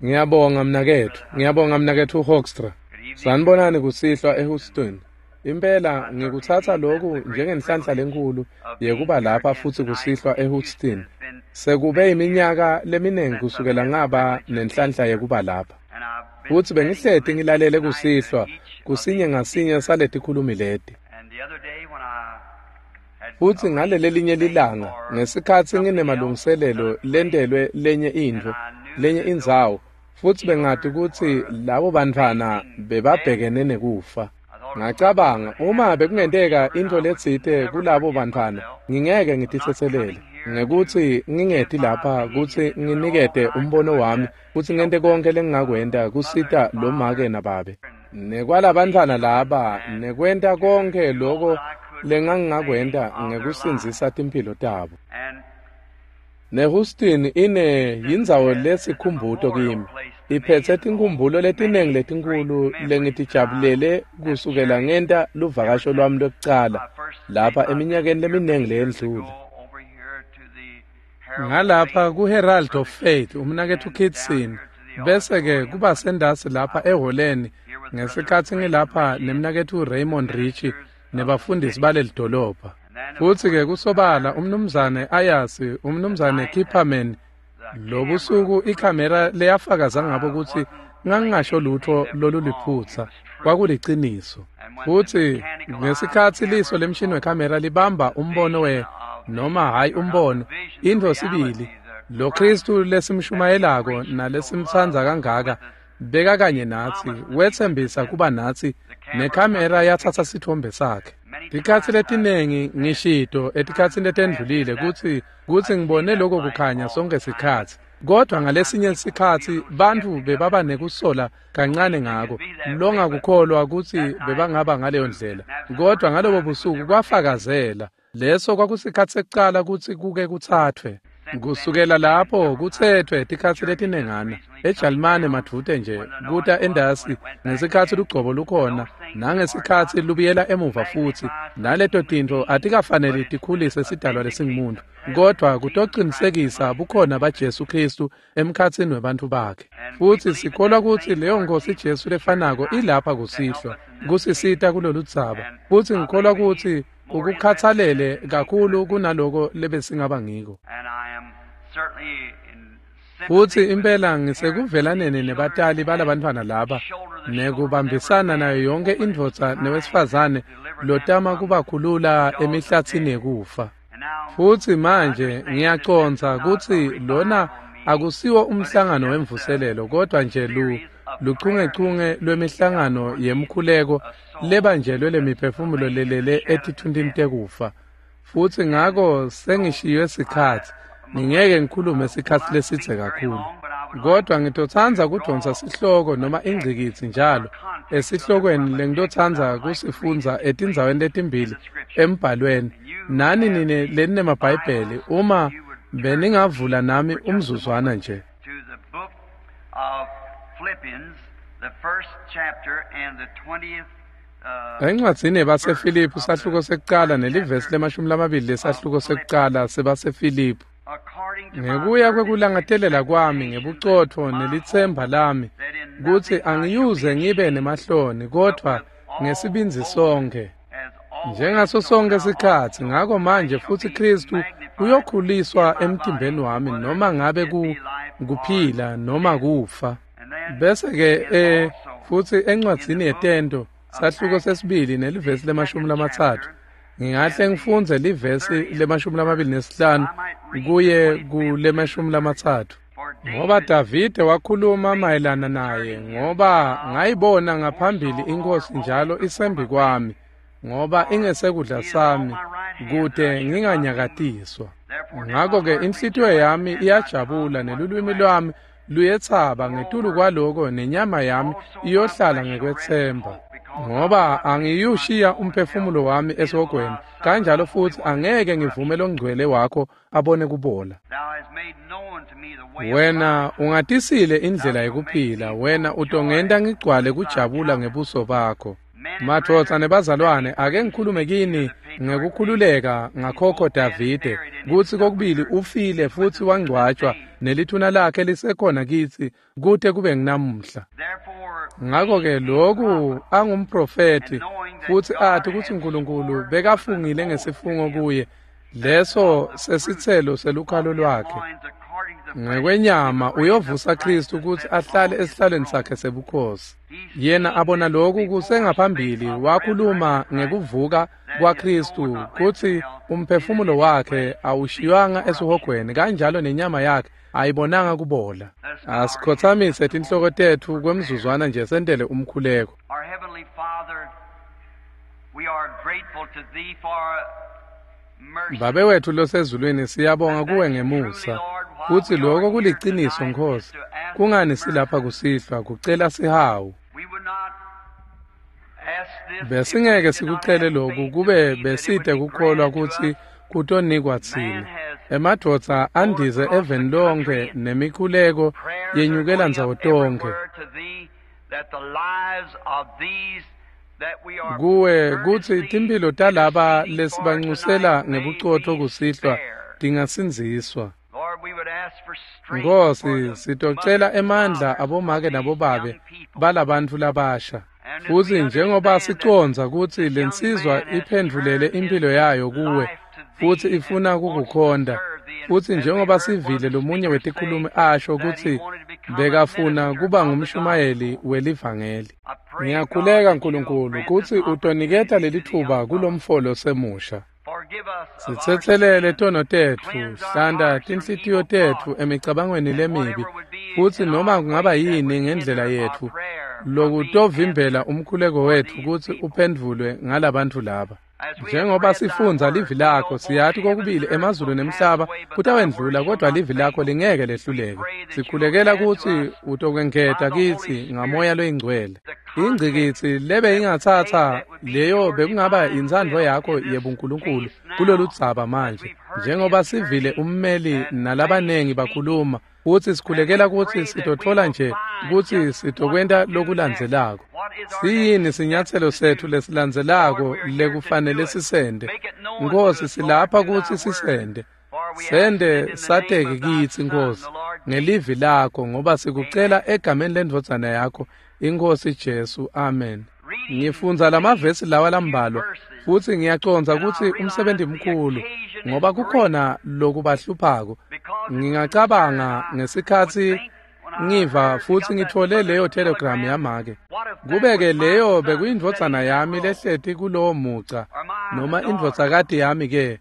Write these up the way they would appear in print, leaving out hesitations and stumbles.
Ngiyabonga mnaketfu, ngiyabonga mnaketfu Hoekstra. Sanibonani kusihlwa eHouston. Impela ngikutsatsa loku njengenhlanhla lenkhulu yekuba lapha futsi kusihlwa eHouston. Sekube iminyaka leminingi kusukela ngaba nenhlanhla yekuba lapha. Futsi bengihleti ngilalele kusihlwa kusinye ngasinye saletikhulumi leti. Futsi ngalelelinye lilanga ngesikhatsi nginemalungiselelo lentelwe lenye intfo, lenye indzawo, futsi bengati kutsi labo bantfwana bebabhekene nekufa. Ngacabanga uma bekungenteka intfo letsite kulabo bantfwana, ngingeke ngititsetselele ngekutsi ngingeti lapha kutsi nginikete umbono wami futsi ngente konke lengingakwenta kusita lo make nababe. Nekwalabantfwana laba nekwenta konke loko lengangingakwenta ngekusindzisa timphilo tabo. NeHouston ine yindzawo lesikhumbuto kimi. Iphetse tinkhumbulo letiningi letinkhulu lengitijabulele kusukela ngenta luvakasho lwami lwekucala lapha eminyakeni leminingi leyendlule. Ngalapha kuHerald of Faith umnaketfu Kitson, bese-ke kuba sendasi lapha eholeni ngesikhatsi ngilapha nemnaketfu Raymond Richey nebafundisi baleli dolobha. Futsi-ke kusobala umnumzane Ayasi, umnumzane Kipperman, lobusuku ikhamera leyafakaza ngabo kutsi ngangingasho lutho loluliphutsa, kwakuliciniso. Futsi ngesikhatsi liso lemshini wekhamera libamba umbono noma hhayi umbono, intfo sibili, lo Khristu lesimshumayelako nalesimtsandza kangaka beka kanye natsi, wetsembisa kuba natsi, nekhamera yatsatsa sitfombe sakhe. Tikhatsi letiningi ngishito etikhatsini letendlulile kutsi ngibone lokho kukhanya sonke sikhatsi. Kodwa ngalesinye sikhatsi bantfu bebaba nekusola kancane ngako, longakukholwa kutsi bebangaba ngaleyo ndlela. Kodwa ngalobo busuku kwafakazela. Leso kwakusikhatsi sekucala kutsi kuke kutsathwe. Kusukela lapho kutsetfwe tikhatsi letinengana eJalimane madvute nje kuta endasi ngesikhatsi lugcobo lukhona nangesikhatsi lubuyela emuva futsi naleto tintfo atikafaneli tikhulise sidalwa lesingumuntu, kodwa kutocinisekisa bukhona baJesu Khristu emkhatsini webantfu bakhe. Futsi sikholwa kutsi leyo Nkhosi Jesu lefanako ilapha kusihlwa kusisita kuloludzaba. Futsi ngikholwa kutsi ukukhatsalele kakhulu kunaloko lebesingaba ngiko. Futsi impela ngisekuvelaneni nebatali balabantfwana laba nekubambisana nayo yonke indvodza newesifazane lotama kubakhulula emihlatsini yekufa. Futsi manje ngiyacondza kutsi lona akusiwo umhlangano wemvuselelo, kodwa nje luchungechunge lwemihlangano yemkhuleko lebanjelwe lemiphefumulo lelele etithuntini tekufa. Futsi ngako sengishiywe sikhatsi, ngingeke ngikhulume sikhatsi lesidze kakhulu. Kodwa ngitotsandza kudonsa sihloko noma ingcikitsi njalo esihlokweni lengitotsandza kusifundza etindzaweni letimbili embhalweni. Nani nine leninemabhayibheli, uma beningavula nami umzuzwana nje. Encwadzini yabaseFiliphu sahluko sekucala nelivesi le-20 lesahluko sekucala sebaseFiliphu. Ngekuya kwekulangatelela kwami ngebucotfo nelitsemba lami kutsi angiyuze ngibe nemahloni, kodvwa ngesibindzi sonkhe njengaso sonke sikhatsi. Ngako manje futsi Khristu uyokhuliswa emtimbeni wami, noma ngabe kuphila noma kufa. Bese-ke futsi encwadzini yeTento sahluko sesibili nelivesi le-30, ngingahle ngifundze livesi le-25 kuye kule-30. Ngoba Davide wakhuluma mayelana naye, ngoba ngayibona ngaphambili iNkhosi njalo isembi kwami, ngoba ingesekudla sami kute nginganyakatiswa. Ngako-ke inhlitiyo yami iyajabula nelulwimi lwami luyetsaba, ngetulu kwaloko nenyama yami iyohlala ngekwetsemba. Ngoba angiyushiya umphefumulo wami esihogweni, kanjalo futsi angeke ngivume longcwele wakho abone kubola. Wena ungatisile indlela yekuphila, wena utongenta ngigcwale kujabula ngebuso bakho. Madvodza nebazalwane, ake ngikhulume kini Ngekukhululeka ngakhokho Davide kutsi kokubili ufile futsi wangcwatjwa nelithuna lakhe lisekhona kitsi kute kube nginamuhla. Ngakho-ke loku angumprofethi futsi ati kutsi Nkulunkulu bekafungile ngesifungo kuye leso sesitselo selukhalo lwakhe. Ngekwenyama uyovusa Kristu kutsi ahlale esihlalweni sakhe sebukhosi. Yena abona lokhu kusengaphambili wakhuluma ngekuvuka kwaKristu kutsi umphefumulo wakhe awushiywanga esihogweni kanjalo nenyama yakhe ayibonanga kubola. Asikhothamise tinhloko tetfu kwemzuzwana nje sentele umkhuleko. Babe wethu losezulwini, siyabonga kuwe ngemusa kutsi lokho kuliciniso Nkosi. Kungani silapha kusihlwa kucela sihawu? Besingeke sikucele lokhu kube besite kukholwa kutsi kutonikwa tsine. Emadvodza andize eveni lonke nemikhuleko yenyukela ndzawo tonkhe kuwe kutsi timphilo talaba lesibancusela ngebucotfo kusihlwa tingasindziswa. Nkosi, sitocela emandla abomake nabobabe balabantfu labasha. Futsi njengoba sicondza kutsi lensizwa iphendvulele impilo yayo kuwe futsi ifuna kukukhonta, futsi njengoba sivile lomunye wetikhulumi asho kutsi bekafuna kuba ngumshumayeli welivangeli. Ngiyakhuleka Nkulunkulu kutsi utoniketa lelitfuba kulomfolo semusha. Sitsetselele tono tetfu, hlanta tinhlitiyo tetfu emicabangweni lemibi, futsi noma kungaba yini ngendlela yetfu lokutovimbela umkhuleko wetfu kutsi uphendvulwe ngalabantfu laba. Njengoba sifundza livi lakho, siyati kokubili emazulu nemhlaba kutawendlula, kodwa livi lakho lingeke lehluleke. Sikhulekela kutsi utokwengeta kitsi ngamoya loyingcwele. Ingcikitsi lebe ingatsatsa leyo bekungaba intsandvo yakho yebuNkulunkulu kuloludzaba manje. Njengoba sivile ummeli nalabanengi bakhuluma, futsi sikhulekela kutsi sitotfola nje kutsi sitokwenta lokulandzelako. Siyini sinyatselo setfu lesilandzelako lekufanele sisende? Nkosi, silapha kutsi sisende. Sende sateke kitsi Nkosi ngelivi lakho, ngoba sikucela egameni lendvodzana yakho iNkosi Jesu. Amen. Ngifundza lamavesi lawa lambalwa futsi ngiyacondza kutsi umsebenzi mkhulu ngoba kukhona lokubahluphako. Ngingacabanga ngesikhatsi ngiva futsi ngitfole leyo telegram yamake. Kube-ke leyo bekuyindvodzana yami lehleti kulowo muca noma indvodzakati yami-ke,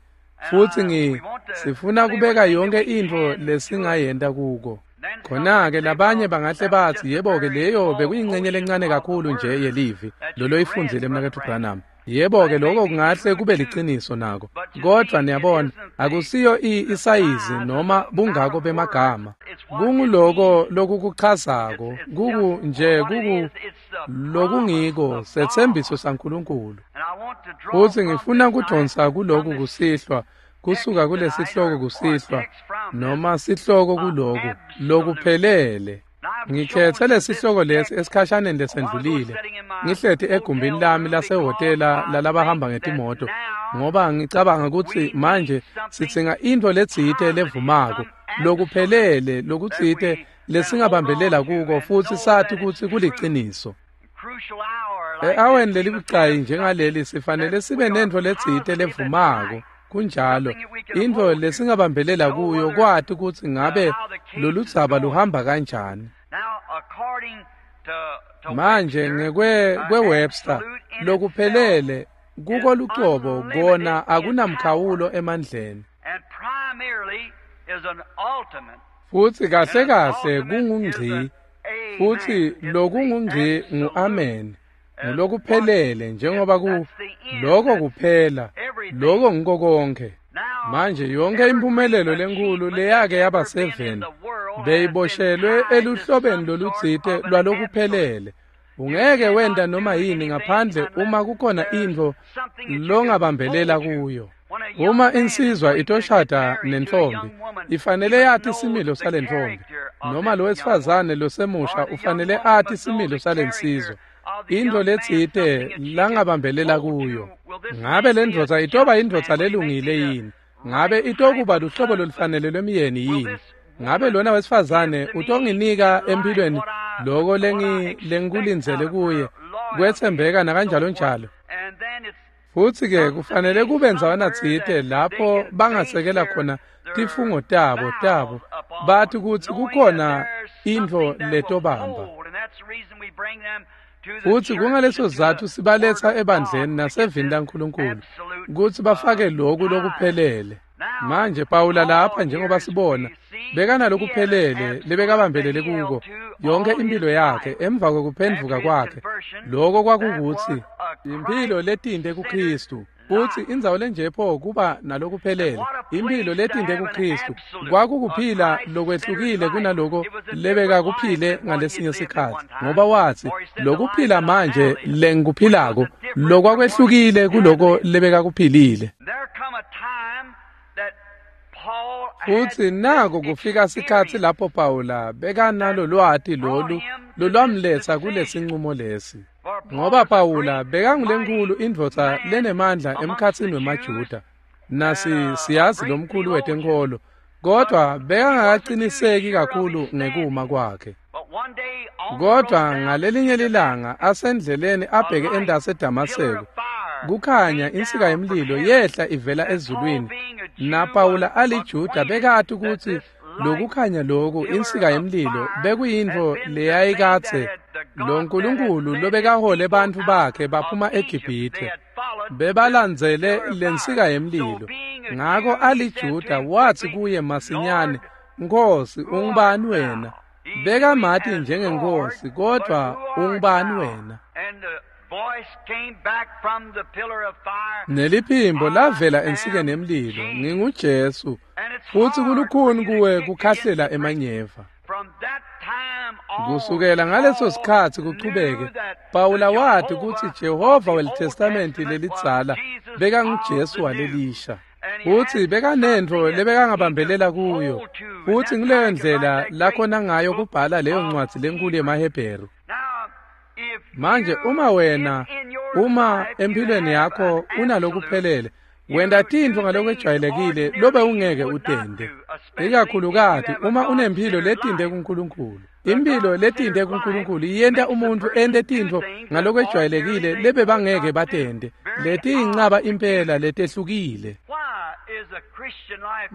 futsi sifuna kubeka yonke intfo lesingayenta kuko. Khona-ke labanye bangahle batsi, yebo-ke leyo bekuyincenye lencane kakhulu nje yelivi loloyifundzile mnaketfu Branham. Yebo-ke lokho kungahle kube liciniso nako, kodvwa niyabona akusiyo isayizi noma bungako bemagama. Kunguloko lokukuchazako, kuku lokungiko setsembiso saNkulunkulu. Futsi ngifuna kudonsa kuloku kusihlwa, kusuka kulesihloko kusihlwa noma sihloko kuloku lokuphelele. Ngikhethe lesihloko lesi esikhashaneni lesendlulile. Ngihleti egumbini lami lasehhotela lalabahamba ngetimoto ngoba ngicabanga kutsi manje sidzinga intfo letsite levumako lokuphelele lokutsite lesingabambelela kuko futsi sati kutsi kuliciniso. E-aweni lelibucayi njengaleli sifanele sibe nentfo letsite levumako. Kunjalo, intfo lesingabambelela kuyo kwati kutsi ngabe loludzaba luhamba kanjani. Manje ngekwe-Webster lokuphelele kuko lucobo kona akunamkhawulo emandleni. Futsi kahle kahle kungungci, futsi lokungungci ngu-amen. Ngulokuphelele njengoba ku lokho kuphela, lokho ngiko konke. Manje yonke impumelelo lenkulu leyake yaba seveni beyiboshelwe eluhlobeni lolutsite lwalokuphelele. Ungeke wenta noma yini ngaphandle uma kukhona intfo longabambelela kuyo. Uma insizwa itoshada nentfombi, ifanele yati similo salentfombi, noma lo wesifazane losemusha ufanele ati similo salensizwa. Intfo letsite langabambelela kuyo. Ngabe lendvodza itoba indvodza lelungile yini? Ngabe itokuba luhlobo lolufanele lwemyeni yini? Ngabe lona wesifazane utonginika empilweni loko lengikulindzele kuye, kwetsembeka nakanjalo njalo. Futsi-ke kufanele kube ndzawana tsite lapho bangasekela khona tifungo tabo bathi kutsi kukhona intfo letobamba. Futsi kungaleso sizatfu sibaletsa ebandleni nasevini laNkulunkulu kutsi bafake loku lokuphelele. Manje Pawula lapha njengoba sibona bekanalokuphelele lebekabambelele kuko yonke impilo yakhe emva kwekuphendvuka kwakhe. Loko kwakukutsi impilo letinte kuKristu. Futsi indzawo lenjepho kuba nalokuphelele impilo letinte kuKristu kwakukuphila lokwehlukile kunaloko lebekakuphile ngalesinye sikhatsi, ngoba watsi lokuphila manje lengikuphilako lokwakwehlukile kuloko lebekakuphilile. Futsi nako kufika sikhatsi lapho Pawula bekanalolwati lolu lolwamletsa kulesinqumo lesi. Ngoba Pawula bekangulenkulu indvodza lenemandla emkhatsini wemaJuda, nasi siyazi lomkhulu wetenkholo, kodwa bekangakaciniseki kakhulu ngekuma kwakhe. Kodwa ngalelinye lilanga asendleleni abheke endase eDamaseko, kukhanya insika yemlilo yehla ivela ezulwini, naPawula aliJuda bekati kutsi lokukhanya loku insika yemlilo bekuyintfo leyayikadze lo Nkulunkulu lobekahole bantfu bakhe baphuma eGibhithe, bebalandzele lensika yemlilo. Ngako aliJuda watsi kuye masinyane, Nkhosi, ungubani wena? Bekamati njengeNkhosi, kodvwa ungubani wena? Neliphimbo lavela ensikeni yemlilo, nginguJesu, futsi kulukhuni kuwe kukhahlela emanyeva. Kusukela ngaleso sikhatsi kuchubeke, Pawula wati kutsi Jehova weliTestamenti lelidzala bekanguJesu walelisha. Futsi bekanentfo lebekangabambelela kuyo, futsi nguleyo ndlela lakhona ngayo kubhala leyo ncwadzi lenkulu yemaHebheru. Manje uma wena, uma empilweni yakho unalokuphelele, wenta tintfo ngalokwejwayelekile lobe ungeke utente, ikakhulukati uma unemphilo letinte kuNkulunkulu. Impilo letinte kuNkulunkulu iyenta umuntfu ente tintfo ngalokwejwayelekile lebebangeke batente, letiyincaba impela letehlukile.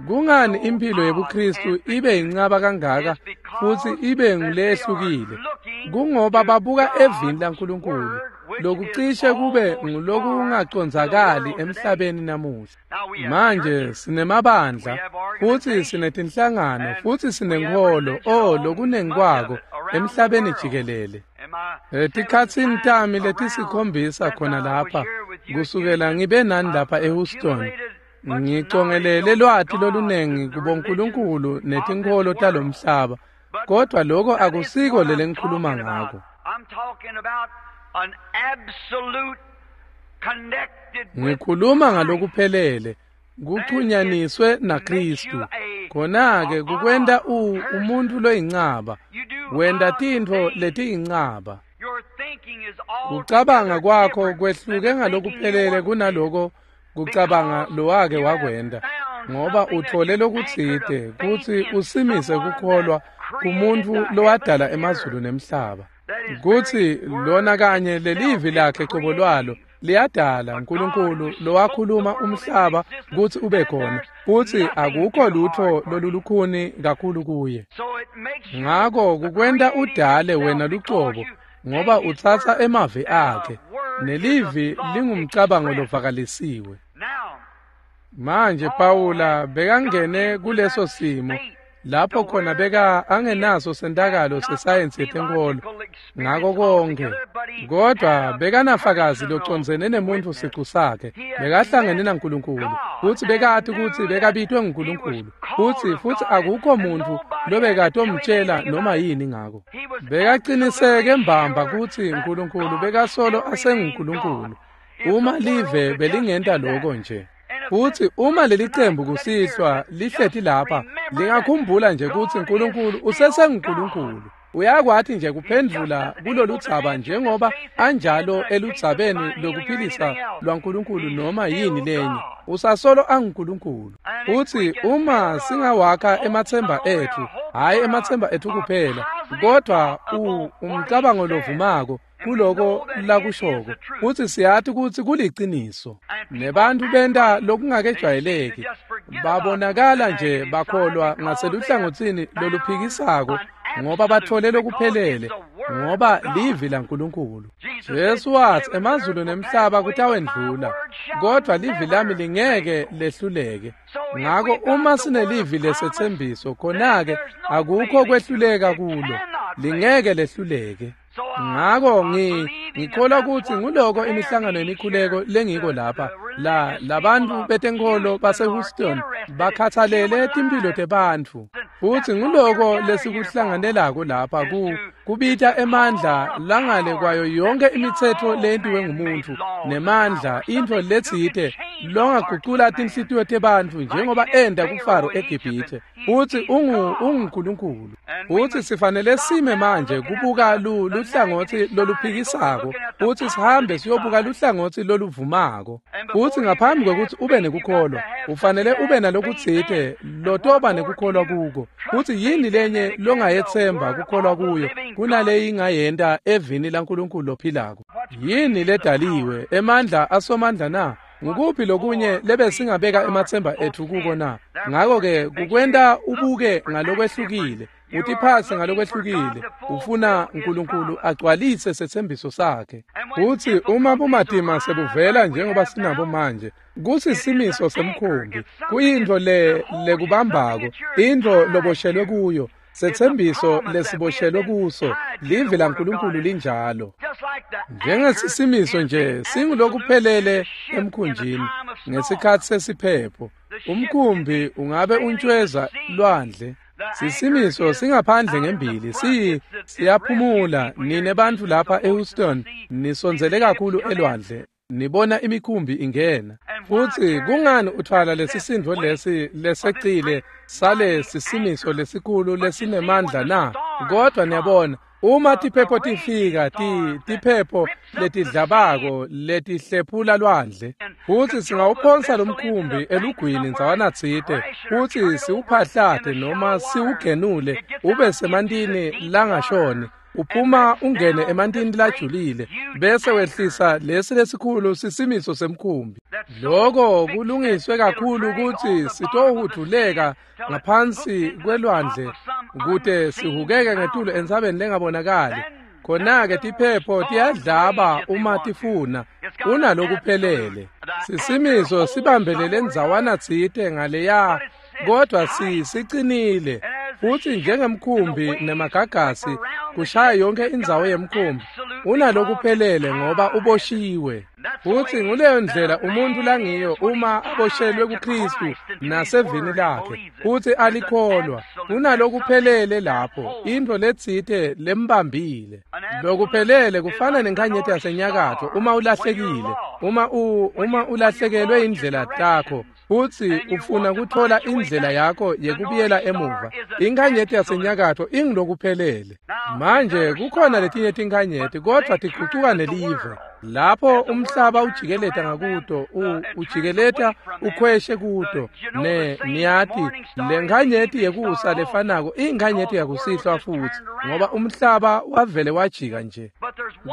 Kungani impilo yebuKristu ibe yincaba kangaka futsi ibe ngulehlukile? Kungoba babuka evini laNkulunkulu, lokucishe kube ngulokungacondzakali emhlabeni namuhla. Manje sinemabandla futsi sinetinhlangano futsi sinenkholo, lokunengi kwako emhlabeni jikelele. Etikhatsini tami letisikhombisa khona lapha, kusukela ngibe nani lapha eHouston, ngicongelele lwati lolunengi kubonkulunkulu netinkholo talomhlaba, kodwa lokho akusiko lelengikhuluma ngako. Ngikhuluma ngalokuphelele, kuchunyaniswe naKristu. Khona-ke kukwenta umuntu loyincaba, wenta tintfo letiyincaba. Kucabanga kwakho kwehluke ngalokuphelele kunaloko kucabanga lowake wakwenta, ngoba uthole lokutsite kutsi usimise kukholwa kumuntfu lowadala emazulu nemhlaba, kutsi lona kanye lelivi lakhe cobo lwalo liyadala uNkulunkulu lowakhuluma umhlaba kutsi ube khona, futsi akukho lutho lolulukhuni kakhulu kuye. Ngako kukwenta udale wena lucobo, ngoba utsatsa emavi akhe, nelivi lingumcabango lovakalisiwe. Manje Pawula bekangene kuleso simo lapho khona beka angenaso sentakalo sesayensi yetenkholo ngako konke, kodwa bekanafakazi locondzene nemuntfu sicu sakhe, bekahlangene naNkulunkulu, futsi bekati kutsi bekabitwe nguNkulunkulu, futsi akukho muntfu lobekatomtjela noma yini ngako. Bekaciniseke mbamba kutsi uNkulunkulu bekasolo asenguNkulunkulu, uma live belingenta loko nje. Futsi uma lelicembu kusihlwa lihleti lapha, lingakhumbula nje kutsi uNkulunkulu usesenguNkulunkulu. Uyakwati nje kuphendvula kuloludzaba njengoba anjalo eludzabeni lokuphilisa lwaNkulunkulu noma yini lenye. Usasolo anguNkulunkulu. Futsi uma singawakha ematsemba ethu, hhayi ematsemba ethu kuphela, kodwa umcabango lovumako kuloko lakushoko, futsi siyati kutsi kuliciniso. Nebantu benta lokungakejwayeleki, babonakala nje bakholwa ngaseluhlangotsini loluphikisako ngoba bathole lokuphelele, ngoba livi laNkulunkulu. Jesu watsi emazulu nemhlaba kutawendlula, kodvwa livi lami lingeke lehluleke. Ngako uma sinelivi lesetsembiso, khona-ke akukho kwehluleka kulo, lingeke lehluleke. Ngako ngikholwa kutsi nguloko imihlangano yemikhuleko lengiko lapha la labantu betenkholo baseHouston bakhathalele timphilo tebantfu, futsi nguloko lesikuhlanganelako lapha kubita emandla langale kwayo yonke imitsetfo leyentiwe ngumuntfu nemandla, intfo letsite longagucula tinhlitiyo tebantfu njengoba enta kuFaro eGibhithe. Futsi unguNkulunkulu. Futsi sifanele sime manje kubuka luhlangotsi loluphikisako, futsi sihambe siyobuka luhlangotsi loluvumako. Futsi ngaphambi kwekutsi ube nekukholwa, ufanele ube nalokutsite lotoba nekukholwa kuko. Futsi yini lenye longayetsemba kukholwa kuyo kunaleyi ingayenta evini laNkulunkulu lophilako? Yini ledaliwe emandla asomandla na? Ngukuphi lokunye lebesingabeka ematsemba ethu kuko na? Ngako-ke kukwenta ubuke ngalokwehlukile, utiphase ngalokwehlukile, ufuna uNkulunkulu agcwalise setsembiso sakhe. Futsi uma bumatima sebuvela njengoba sinabo manje, kusisimiso semkhumbi, kuyintfo lekubambako, intfo loboshelwe kuyo, setsembiso lesiboshelwe kuso, livi laNkulunkulu linjalo. Njengesisimiso nje singulokuphelele emkhunjini ngesikhatsi sesiphepho. Umkhumbi ungabe untshweza lwandle. Sisimiso singaphandle ngembili, siyaphumula. Nine bantfu lapha eHouston nisondzele kakhulu elwandle, nibona imikhumbi ingena. Futsi kungani uthwala lesisindvo lesi lesecile sale sisimiso lesikhulu lesinemandla na? Kodwa niyabona, uma tiphepho tifika, tiphepho letidlabako letihlephula lwandle, futsi singawuphonsa lomkhumbi elugwini ndzawana tsite, futsi siwuphahlate noma siwugenule ube semantini langashoni, uphuma ungene emantini lajulile, bese wehlisa lesi lesikhulu sisimiso semkhumbi. Loko kulungiswe kakhulu kutsi sitohudvuleka ngaphansi kwelwandle kute sihukeke ngetulu entsabeni lengabonakali. Khona-ke tiphepho tiyadlaba uma tifuna, unalokuphelele. Sisimiso sibambelele ndzawana tsite ngaleya, kodwa sicinile. Futsi njengemkhumbi nemagagasi kushaya yonke indzawo yemkhumbi, unalokuphelele ngoba uboshiwe. Futsi nguleyo ndlela umuntu langiyo uma aboshelwe kuKristu nasevini lakhe, futsi alikholwa, unalokuphelele lapho, intfo letsite lembambile. Lokuphelele kufana nenkhanyeti yasenyakatfo uma ulahlekile, uma ulahlekelwe indlela takho, futsi ufuna kutfola indlela yakho yekubuyela emuva. Inkhanyeti yasenyakatfo ingulokuphelele. Manje kukhona letinye tinkhanyeti, kodvwa tigucuka nelive. Lapho umhlaba ujikeleta ngakuto, ujikeleta ukhweshe kuto. Niyati, lenkhanyeti yekusa lefanako inkhanyeti yakusihlwa futsi, ngoba umhlaba wavele wajika nje.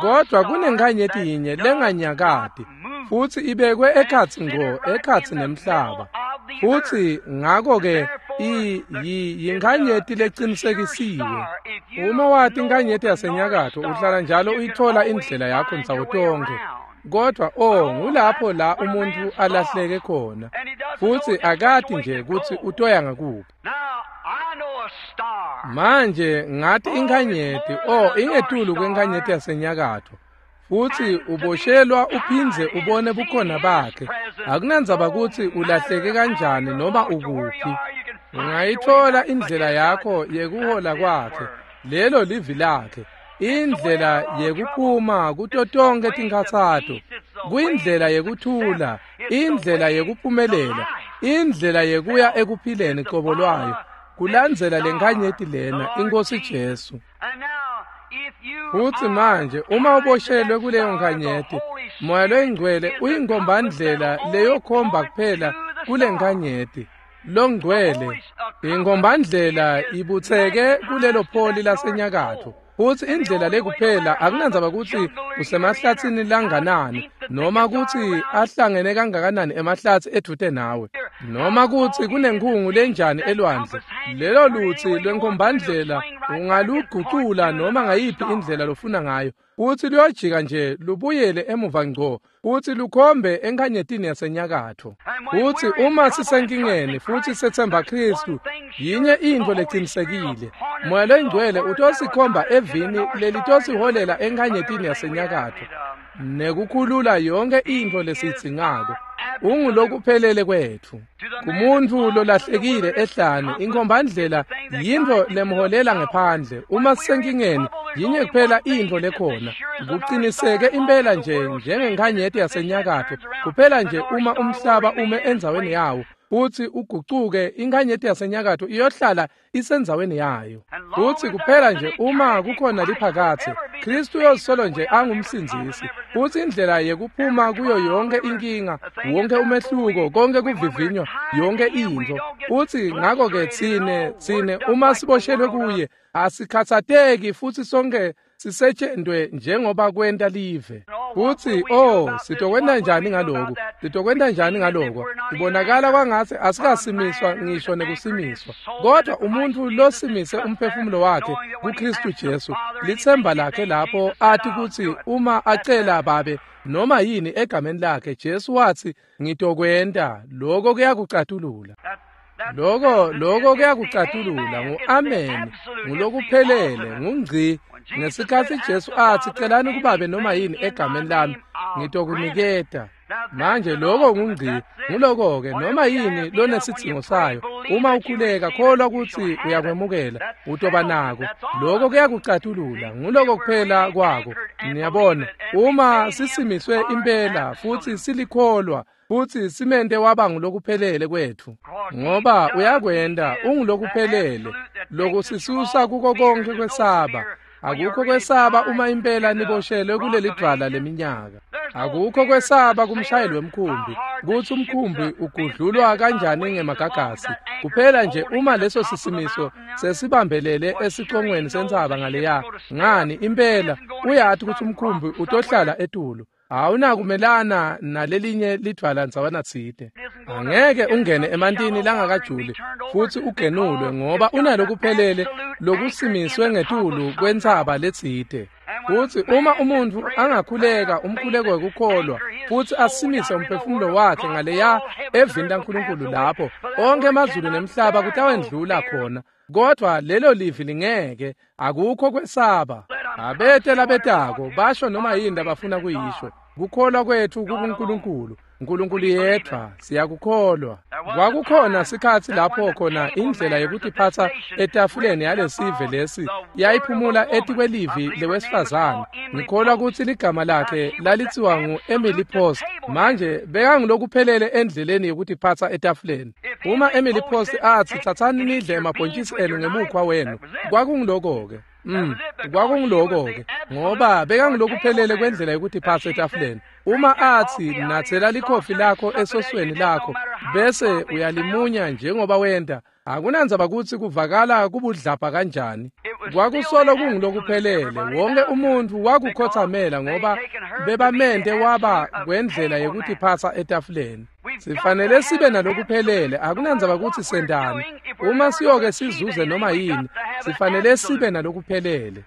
Kodvwa kunenkhanyeti yinye lenganyakati, futsi ibekwe ekhatsi ngo ekhatsi nemhlaba. Futsi ngako-ke yinkhanyeti lecinisekisiwe. Uma wati inkhanyeti yasenyakatfo, uhlala njalo uyitfola indlela yakho ndzawo tonkhe. Kodvwa ngulapho la umuntfu alahleke khona, futsi akati nje kutsi utoya ngakuphi. Manje ngathi inkhanyeti, ingetulu kwenkhanyeti yasenyakatfo. Futsi uboshelwa uphindze ubone bukhona bakhe. Akunandzaba kutsi ulahleke kanjani noma ukuphi, ungayitfola indlela yakho yekuhola kwakhe. Lelo livi lakhe, indlela yekuphuma kuto tonkhe tinkhatsato, kuyindlela yekuthula, indlela yekuphumelela, indlela yekuya ekuphileni qobo lwayo, kulandzela lenkhanyeti lena, iNkhosi Jesu. Futsi manje uma uboshelwe kuleyo nkhanyeti, Moya loyiNgcwele uyinkombandlela leyokhomba kuphela kule nkhanyeti. Longcwele, inkombandlela ibutseke kulelo pholi lasenyakatfo. Futsi indlela lekuphela akunandzaba kutsi usemahlatsini langanani noma kutsi ahlangene kangakanani emahlatsi edvute nawe noma kutsi kunenkhungu lenjani elwandle, lelo lutsi lwenkombandlela ungalugucula noma ngayiphi indlela lofuna ngayo, futsi luyojika nje lubuyele emuva ngco futsi lukhombe enkhanyetini yasenyakatfo. Futsi uma sisenkingeni futsi setsemba Khristu, yinye intfo lecinisekile, Moya loyiNgcwele utosikhomba evini lelitosiholela enkhanyetini yasenyakatfo nekukhulula yonke intfo lesiyidzingako. Ungulokuphelele kwetfu. Kumuntfu lolahlekile ehlane, inkombandlela yintfo lemholela ngephandle. Uma sisenkingeni, yinye kuphela intfo lekhona. Kuqiniseke impela nje njengenkhanyeti yasenyakatfo, kuphela nje uma umhlaba ume endzaweni yawo futsi ugucuke, inkhanyeti yasenyakatfo iyohlala isendzaweni yayo. Futsi kuphela nje uma kukhona liphakatse, Khristu uyosolo nje angumsindzisi. Futsi indlela yekuphuma kuyo yonke inkinga, wonke umehluko, konke kuvivinywa, yonke intfo. Futsi ngako-ke tsine uma siboshelwe kuye, asikhatsateki futsi sonke sisetshentwe njengoba kwenta live. Futsi sitokwenta njani ngaloku? Sitokwenta njani ngaloko? Kubonakala kwangatsi asikasimiswa ngisho nekusimiswa. Kodwa umuntfu losimise umphefumulo wakhe kuKhristu Jesu, litsemba lakhe lapho athi kutsi uma acela Babe noma yini egameni lakhe, Jesu watsi ngitokwenta, lokho kuyakucatulula. Lokho kuyakucatulula, ngu-amen, ngulokuphelele, ngungci. Ngesikhatsi Jesu athi celani kubabe noma yini egameni lami, ngitokuniketa. Manje lokho ngungci, nguloko-ke noma yini lonesidzingo sayo. Uma ukhuleka, kholwa kutsi uyakwemukela, utoba nako. Lokho kuyakucatulula, nguloko kuphela kwako. Niyabona, uma sisimiswe impela futsi silikholwa, futsi simente waba ngulokuphelele kwetfu, ngoba uyakwenta, ungulokuphelele, lokusisusa kuko konke kwesaba. Akukho kwesaba uma impela niboshelwe kuleli dvwala leminyaka. Akukho kwesaba kumshayeli wemkhumbi kutsi umkhumbi ugudlulwa kanjani ngemagagasi. Kuphela nje uma leso sisimiso sesibambelele esicongweni sentsaba ngaleya, ngani impela uyati kutsi umkhumbi utohlala etulu. Awunakumelana nalelinye lidvwala ndzawana tsite. Angeke ungene emantini langakajuli futsi ugenulwe, ngoba unalokuphelele lokusimiswe ngetulu kwentsaba letsite. Futsi uma umuntfu angakhuleka umkhuleko wekukholwa futsi asimise umphefumulo wakhe ngaleya evini laNkulunkulu, lapho onke emazulu nemhlaba kutawendlula khona, kodvwa lelo livi lingeke. Akukho kwesaba. Abete labetako basho noma yini labafuna kuyisho. Kukholwa kwetfu kukuNkulunkulu, Nkulunkulu yedvwa, siyakukholwa. Kwakukhona sikhatsi lapho khona indlela yekutiphatsa etafuleni yalesive lesi yayiphumula etikwelivi lewesifazane. Ngikholwa kutsi ligama lakhe lalitsiwa ngu-Emily Post. Manje bekangulokuphelele endleleni yekutiphatsa etafuleni. Uma Emily Post atsi tsatsani nidle emabhontjisi enu ngemukhwa wenu, kwakunguloko-ke. Kwakunguloko-ke, ngoba bekangulokuphelele kwendlela yekutiphatsa etafuleni. Uma atsi natsela likhofi lakho esosweni lakho bese uyalimunya njengoba wenta, akunandzaba kutsi kuvakala kubudlabha kanjani, kwakusolo kungulokuphelele. Wonke umuntfu wakukhotsamela ngoba bebamente waba kwendlela yekutiphatsa etafuleni. Sifanele sibe nalokuphelele, akunandzaba kutsi sentani. Uma siyoke sizuze noma yini, sifanele sibe nalokuphelele.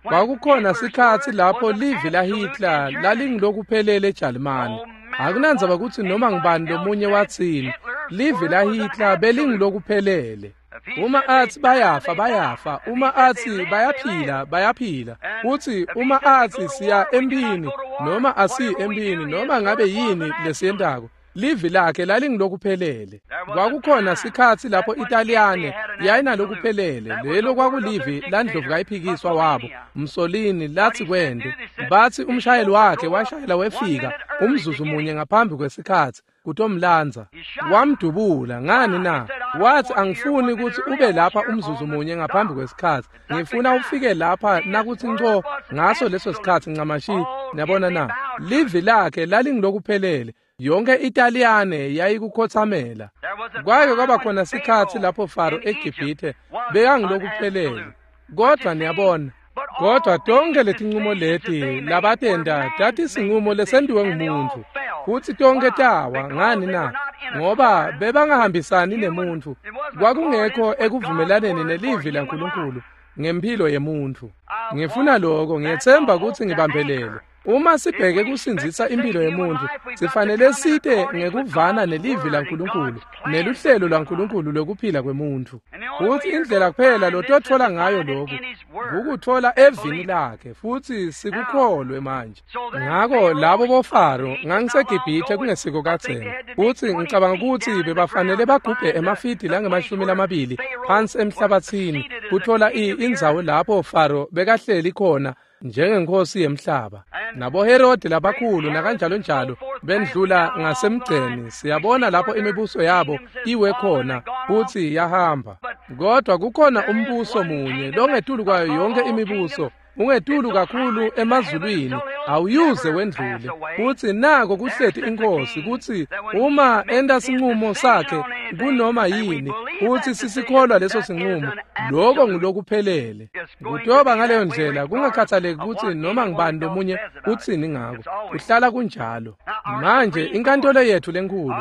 Kwakukhona sikhatsi lapho livi laHitler lalingilokuphelele eJalimane. Akunandzaba kutsi noma ngubani lomunye watsini, livi laHitler belingilokuphelele. Uma atsi bayafa, bayafa. Uma atsi bayaphila, bayaphila. Futsi uma atsi siya emphini noma asiyi emphini, noma ngabe yini lesiyentako, livi lakhe lalingilokuphelele. Kwakukhona sikhatsi lapho Italiyane yayinalokuphelele. Lelo kwakulivi landlovukayiphikiswa wabo Mussolini latsi kwende. Batsi umshayeli wakhe washayela wefika umzuzu munye ngaphambi kwesikhatsi kutomlandza, wamdubula. Ngani na? Watsi, angifuni kutsi ube lapha umzuzu munye ngaphambi kwesikhatsi. Ngifuna ufike lapha nakutsi nco ngaso leso sikhatsi ncamashi. Niyabona na? Livi lakhe lalingilokuphelele. Yonke iTaliyane yayikukhothamela. Kwake kwaba khona sikhatsi lapho Faro eGibhithe bekangilokuphelele. Kodwa niyabona, kodwa tonke letincumo leti labatenta tatisincumo lesentiwe ngumuntu, futsi tonke tawa. Ngani na? Ngoba bebangahambisani nemuntfu. Kwakungekho ekuvumelaneni nelivi laNkulunkulu ngemphilo yemuntfu. Ngifuna lokho, ngiyetsemba kutsi ngibambelele. Uma sibheke kusindzisa impilo yemuntfu, sifanele site ngekuvana nelivi laNkulunkulu neluhlelo lwaNkulunkulu lwekuphila kwemuntfu. Futsi indlela kuphela lototfola ngayo lokhu kukutfola evini lakhe, futsi sikukholwe manje. Ngako labo boFaro, ngangiseGibhithe kungesiko kadzeni, futsi ngicabanga kutsi bebafanele bagubhe emafidi langama-20 phansi emhlabatsini kutfola indzawo lapho Faro bekahleli khona njengenkosi yemhlaba. NaboHerodi labakhulu nakanjalo njalo bendlula ngasemgceni. Siyabona lapho imibuso yabo iwe khona futsi yahamba. Kodwa kukhona umbuso munye longetulu kwayo yonke imibuso, ungetulu kakhulu emazulwini, awuyuze wendlule. Futsi nako kuhleti inkosi, kutsi uma enta sincumo sakhe kunoma yini, futsi sisikholwa leso sincumo, lokho ngulokuphelele. Kutoba ngaleyo ndlela, kungakhathaleki kutsi noma ngibani lomunye utsini ngako, kuhlala kunjalo. Manje inkantolo yetfu lenkhulu,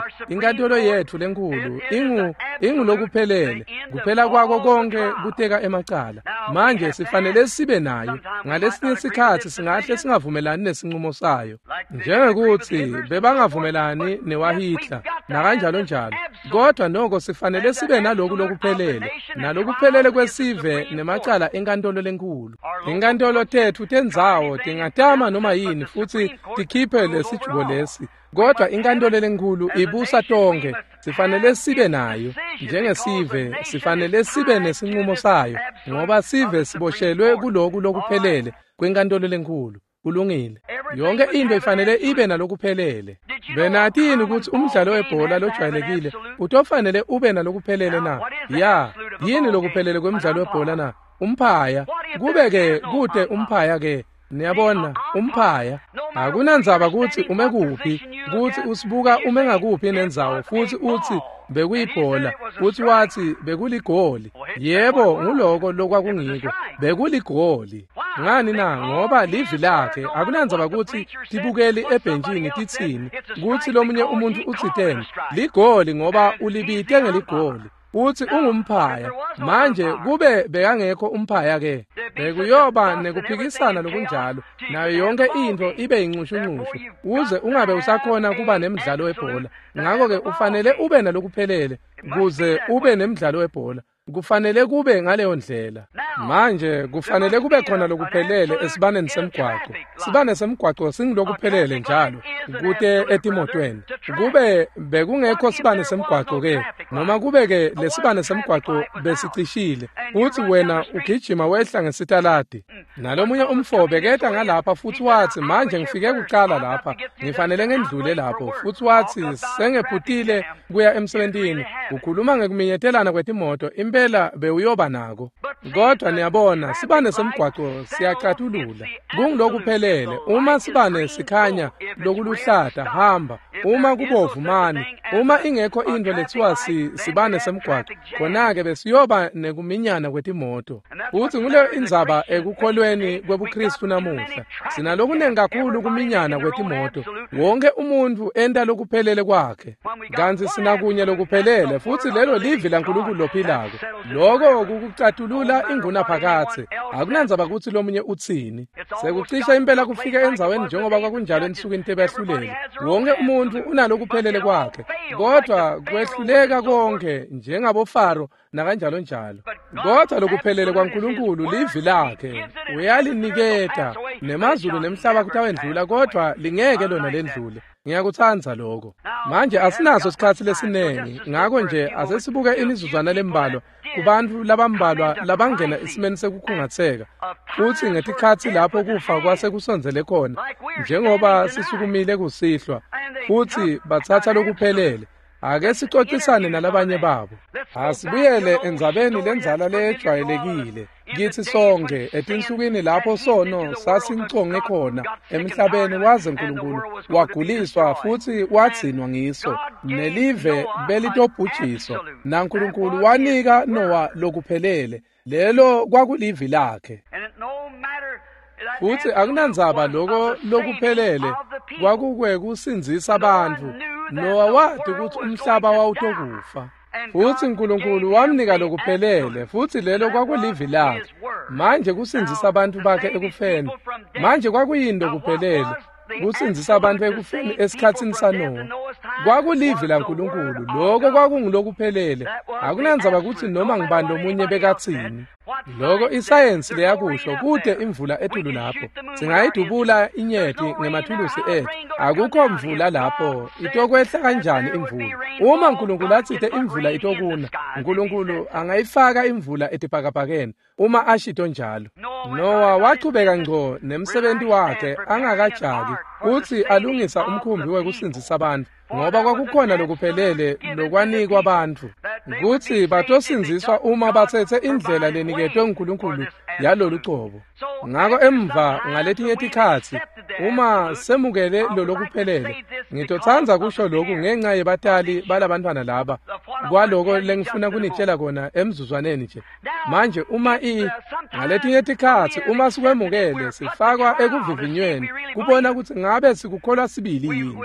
ingulokuphelele, kuphela kwako konke kuteka emacala. Manje sifanele sibe nayo. Ngalesinye sikhatsi singahle singavumelani nesincumo sayo, njengekuthi bebangavumelani newaHitler nakanjalo njalo. Kodwa noko sifanele sibe naloku lokuphelele, nalokuphelele kwesive nemacala enkantolo lenkulu. Inkantolo tetfu tendzawo tingatama noma yini futsi tikhiphe lesijubo lesi, kodwa inkantolo lenkulu ibusa tonke. Sifanele sibe nayo njengesive, sifanele sibe nesincumo sayo, ngoba sive siboshelwe kuloku lokuphelele kwenkantolo lenkulu. Kulungile. Yonke into ifanele ibe nalokuphelele. Benatini kutsi umdlalo webhola lojwayelekile utofanele ube nalokuphelele na? Ya, yini lokuphelele kwemdlalo webhola na? Umphaya. Kube-ke kute umphaya-ke. Niyabona, umphaya. Akunandzaba kutsi ume kuphi, kutsi usibuka ume ngakuphi nendzawo, futsi utsi bekuyibhola, futsi watsi bekuligoli. Yebo, nguloko lokwakungiko, bekuligoli. Ngani na? Ngoba livi lakhe. Akunandzaba kutsi tibukeli ebhentshini titsini, kutsi lomunye umuntfu utsiteni, ligoli ngoba ulibite ngeligoli. Utsi ungumphaya. Manje kube bekangekho umphaya ke, bekuyoba nekuphikisana lokunjalo, nayo yonke intfo ibe yincushunqushu, uze ungabe usakhona kuba nemdlalo webhola. Ngako-ke ufanele ube nalokuphelele kuze ube nemdlalo webhola. Kufanele kube ngaleyo ndlela. Manje kufanele kube khona lokuphelele esibaneni semgwaco. Sibane semgwaco singilokuphelele njalo kute etimotweni. Kube bekungekho sibane semgwaco ke, noma kube ke lesibane semgwaco besicishile, uthi wena ugijima wehla ngesitaladi. Nalomunye umfo beketa ngalapha futsi watsi, manje ngifike kuqala lapha, ngifanele ngendlule lapho. Futsi watsi sengephutile kuya emsebentini. Ukhuluma ngekuminyetelana kwetimoto, impela bewuyoba nako. Kodwa niyabona, sibane semgwaco siyacatulula. Kungilokuphelele. Uma sibane sikhanya lokuluhlata, hamba. Uma kubovu, mani. Uma ingekho into lethiwa sibane semgwaco, khona-ke besiyoba nekuminyana kwetimoto. Futsi nguleyo indzaba ekukholweni kwebuKristu namuhla. Sinalokunengi kakhulu kuminyana kwetimoto. Wonke umuntfu enta lokuphelele kwakhe, kantsi sinakunye lokuphelele, futsi lelo livi laNkulunkulu lophilako. Loko kukucatulula ingunaphakadze. Akunandzaba kutsi lomunye utsini. Sekucisha impela kufika endzaweni njengoba kwakunjalo ensukwini tebehluleli. Wonke umuntfu unalokuphelele kwakhe, kodwa kwehluleka konke njengaboFaro nakanjalo njalo. Kodwa lokuphelele kwaNkulunkulu livi lakhe, uyaliniketa. Nemazulu nemhlaba kutawendlula, kodwa lingeke lona lendlule. Ngiyakutsandza lokho. Manje asinaso sikhatsi lesinengi, ngako nje asesibuke imizuzwana lembalwa kubantfu labambalwa labangena esimeni sekukhungatseka, futsi ngetikhatsi lapho kufa kwase kusondzele khona, njengoba sisukumile kusihlwa, futsi batsatsa lokuphelele. Ake sicocisane nalabanye babo. Asibuyele endzabeni lendzala lejwayelekile kitsi sonke etinsukwini lapho sono sasinconge khona emhlabeni waze Nkulunkulu waguliswa futsi wadzinwa ngiso nelive belitobhujiswa naNkulunkulu wanika Noah lokuphelele lelo kwakulivi lakhe. Futsi akunandzaba loko lokuphelele kwakukwekusindzisa bantfu. Noah wati kutsi umhlaba wawutokufa. Futsi Nkulunkulu wamnika lokuphelele futsi lelo kwakulivi lakhe. Manje kusindzisa abantu bakhe ekufeni. Manje kwakuyini lokuphelele? Kusindzisa abantu ekufeni esikhatsini saNoah. Kwakulivi laNkulunkulu, lokho kwakungulokuphelele. Akunandzaba kutsi noma ngibani lomunye bekatsini. Loko isayensi leyakusho kude imvula etulu lapho. Singayidubula inyeti ngemathulusi ethu. Akukho mvula lapho. Itokwehla kanjani imvula? Uma Nkulunkulu atsite imvula itokuna, Nkulunkulu angayifaka imvula etibhakabhakeni uma ashito njalo. Noah wachubeka ngco nemsebenzi wakhe angakajaki kutsi alungisa umkhumbi wekusindzisa abantu ngoba kwakukhona lokuphelele lokwanikwa abantu kutsi batosindziswa uma batsetse indlela leniketwe nguNkulunkulu yalolu cobo. Ngako emva ngaletinye tikhatsi uma semukele lolokuphelele, ngitotsandza kusho lokhu ngenxa yebatali balabantwana laba kwaloko lengifuna kunitshela kona emzuzwaneni nje. Manje uma ngaletinye tikhatsi uma sikwemukele sifakwa ekuvivinyweni kubona kutsi ngabe sikukholwa sibili yini.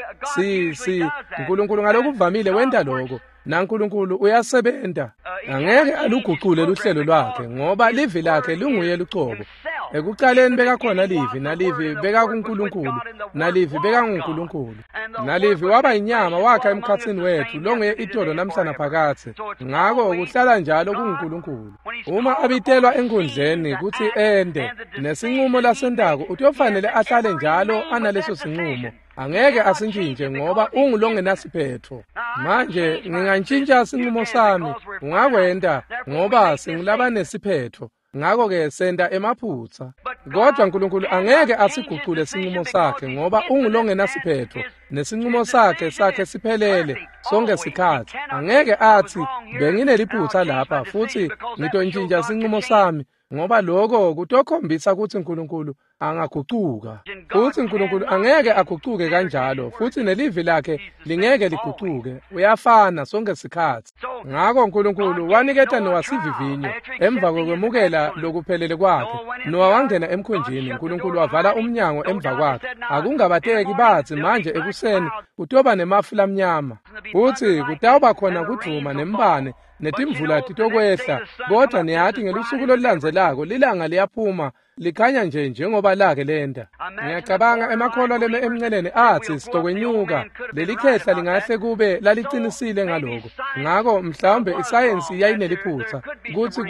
Si Nkulunkulu ngalokuvamile wenta lokho naNkulunkulu uyasebenta. Angeke alugucule luhlelo lwakhe ngoba livi lakhe lunguye lucobo. Ekucaleni bekakhona livi, nalivi bekakuNkulunkulu, nalivi bekanguNkulunkulu. Nalivi waba inyama wakha emkhatsini wethu longuye itolo namhlana phakathe. Ngako kuhlala njalo kunguNkulunkulu. Uma abitelwa enkundleni kutsi ende nesinqumo lasentako utofanele ahlale njalo analeso sinqumo. Angeke asintshintje ngoba ungulongenasiphetho. Manje ngingantshintsha sinqumo sami, ungakwenta ngoba singulabanesiphetho. Ngako-ke senta emaphutsa. Kodwa Nkulunkulu angeke asigucule sinqumo sakhe ngoba ungulongenasiphetho nesinqumo sakhe siphelele sonke sikhatsi. Angeke atsi bengineliphutsa lapha futsi ngitontshintja sinqumo sami ngoba lokho kutokhombisa kutsi Nkulunkulu angagucuka. Futsi Nkulunkulu angeke agucuke kanjalo futsi nelivi lakhe lingeke ligucuke. Uyafana sonke sikhatsi. Ngako Nkulunkulu waniketa Noah sivivinyo emva kokwemukela lokuphelele kwakhe. Noah wangena emkhunjini, Nkulunkulu wavala umnyango emva kwakhe. Akungabateki batsi manje ekuseni kutoba nemafu lamnyama futsi kutawuba khona kudvuma nembane netimvula titokwehla. Kodwa niyati ngelusuku lolulandzelako lilanga liyaphuma likhanya nje njengoba lake lenda. Ngiyacabanga emakholwa leme emnceleni atsi sitokwenyuka. Leli khehla lingahle kube lalicinisile ngaloko. Ngako mhlawumbe isayensi yayineliphutsa kutsi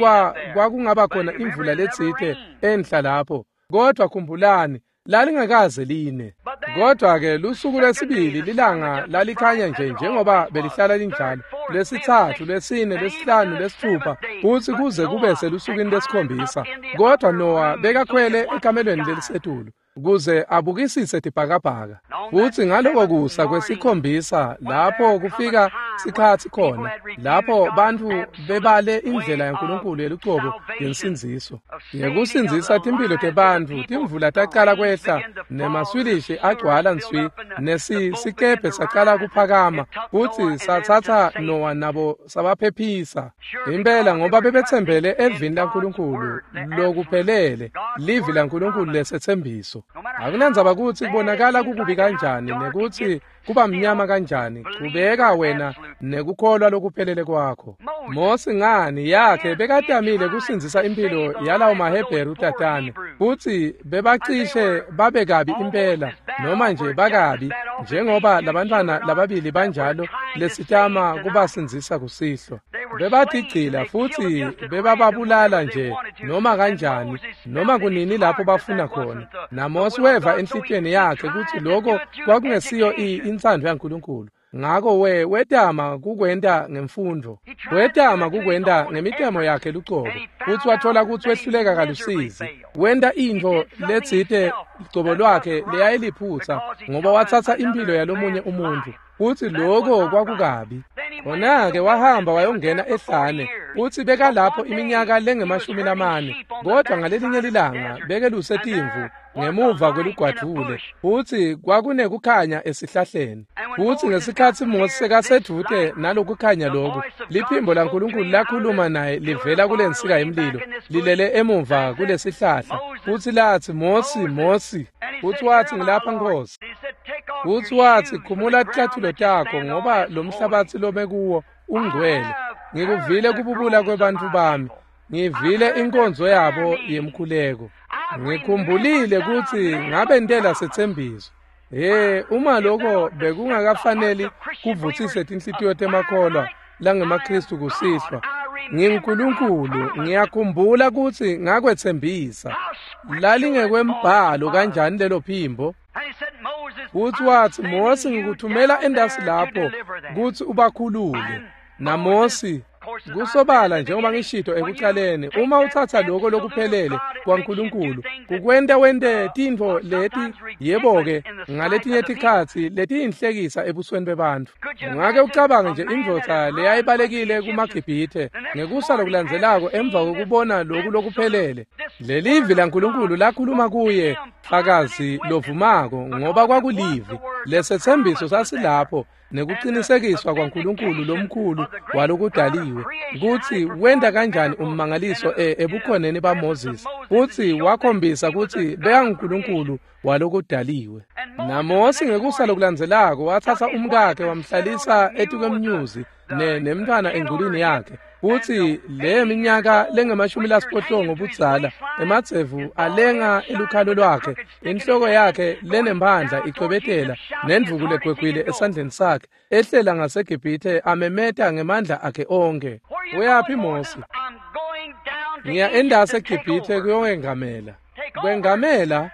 kwakungaba khona imvula letsite enhla lapho. Kodwa khumbulani lalingakaze line. Kodwa-ke lusuku lwesibili lilanga lalikhanya nje njengoba belihlala linjalo. Lwesithathu, lwesine, lwesihlanu, lwesithupha futsi kuze kube selusukwini lwesikhombisa. Kodwa Noah bekakhwele ekamelweni lelisetulu kuze abukisise tibhakabhaka. Futsi ngaloko kusa kwesikhombisa lapho kufika sikhatsi khona lapho bantfu bebale indlela yaNkulunkulu yelucobo yensindziso yekusindzisa timphilo tebantfu. Timvula tacala kwehla nemaswilishi agcwala nswi nesisikebhe sacala kuphakama futsi satsatsa Noah nabo sabaphephisa. Impela ngoba bebetsembele evini laNkulunkulu lokuphelele, livi laNkulunkulu lesetsembiso. Akunandzaba kutsi kubonakala kukubi kanjani nekutsi kuba mnyama kanjani, chubeka wena nekukholwa lokuphelele kwakho. Mosi ngani yakhe bekatamile kusindzisa impilo yalawo maHebheru tatane futsi bebacishe babe kabi impela noma nje bakabi njengoba labantwana lababili banjalo lesitama kubasindzisa kusihlwa. Bebatigcila futsi bebababulala nje noma kanjani noma kunini lapho bafuna khona. NaMosi weva enhlitiyweni yakhe kutsi lokho kwakungesiyo intsandvo yaNkulunkulu. Ngako wetama kukwenta ngemfundvo, wetama kukwenta ngemitemo yakhe lucobo futsi wathola kutsi wehluleka kalusizi. Wenta intfo letsite lucobo lwakhe leyayiliphutsa ngoba watsatsa impilo yalomunye umuntfu futsi lokho kwakukabi. Khona-ke wahamba wayongena ehlane, futsi bekalapho iminyaka lengama-40, kodvwa ngalelinye lilanga bekeluse timvu ngemuva kwelugwadvule, futsi kwakunekukhanya esihlahleni. Futsi ngesikhatsi Mose sekasedvute nalokukhanya loku, liphimbo laNkulunkulu lakhuluma naye livela kulensika yemlilo, lilele emuva kulesihlahla, futsi latsi, Mosi, Mosi. Futsi watsi, ngilapha Nkhosi. Futsi watsi, khumula ticatfulo takho, ngoba lo mhlabatsi lome kuwo ungcwele. Ngikuvile kububula kwebantfu bami, ngivile inkonzo yabo yemkhuleko. Ngikhumbulile kutsi ngabentela setsembiso. Uma lokho bekungakafaneli kuvutsise tinhlitiyo temakholwa langemaKhristu kusihlwa, nginguNkulunkulu, ngiyakhumbula kutsi ngakwetsembisa. Lalingekwembhalo kanjani lelo phimbo? Futsi watsi, Mosi, ngikuthumela endasi lapho kutsi ubakhulule. NaMosi, kusobala njengoba ngishito ekucaleni, uma utsatsa lokho lokuphelele kwaNkulunkulu kukwenta wente tintfo leti, yebo-ke, ngaletinye tikhatsi letiyinhlekisa ebusweni bebantfu. Ungake ucabange nje indvodza leyayibalekile kumaGibhithe ngekusa lokulandzelako emva kwekubona loku lokuphelele. Lelivi laNkulunkulu lakhuluma kuye, fakazi lovumako, ngoba kwakulivi. Lesetsembiso sasilapho nekucinisekiswa kwaNkulunkulu lomkhulu walokudaliwe, kutsi wenta kanjani ummangaliso ebukhoneni baMoses, futsi wakhombisa kutsi bekanguNkulunkulu walokudaliwe. NaMosi ngekusa lokulandzelako watsatsa umkakhe wamhlalisa etikwemnyuzi nemntfwana engculwini yakhe, futsi le minyaka lengama-80 budzala, emadzevu alenga elukhalo lwakhe, inhloko yakhe lenemphandla icwebetela, nendvuku legwegwile esandleni sakhe, ehlela ngaseGibhithe amemeta ngemandla akhe onke. Uyaphi Mosi? Ngiya endasi eGibhithe kuyowengamela. Kwengamela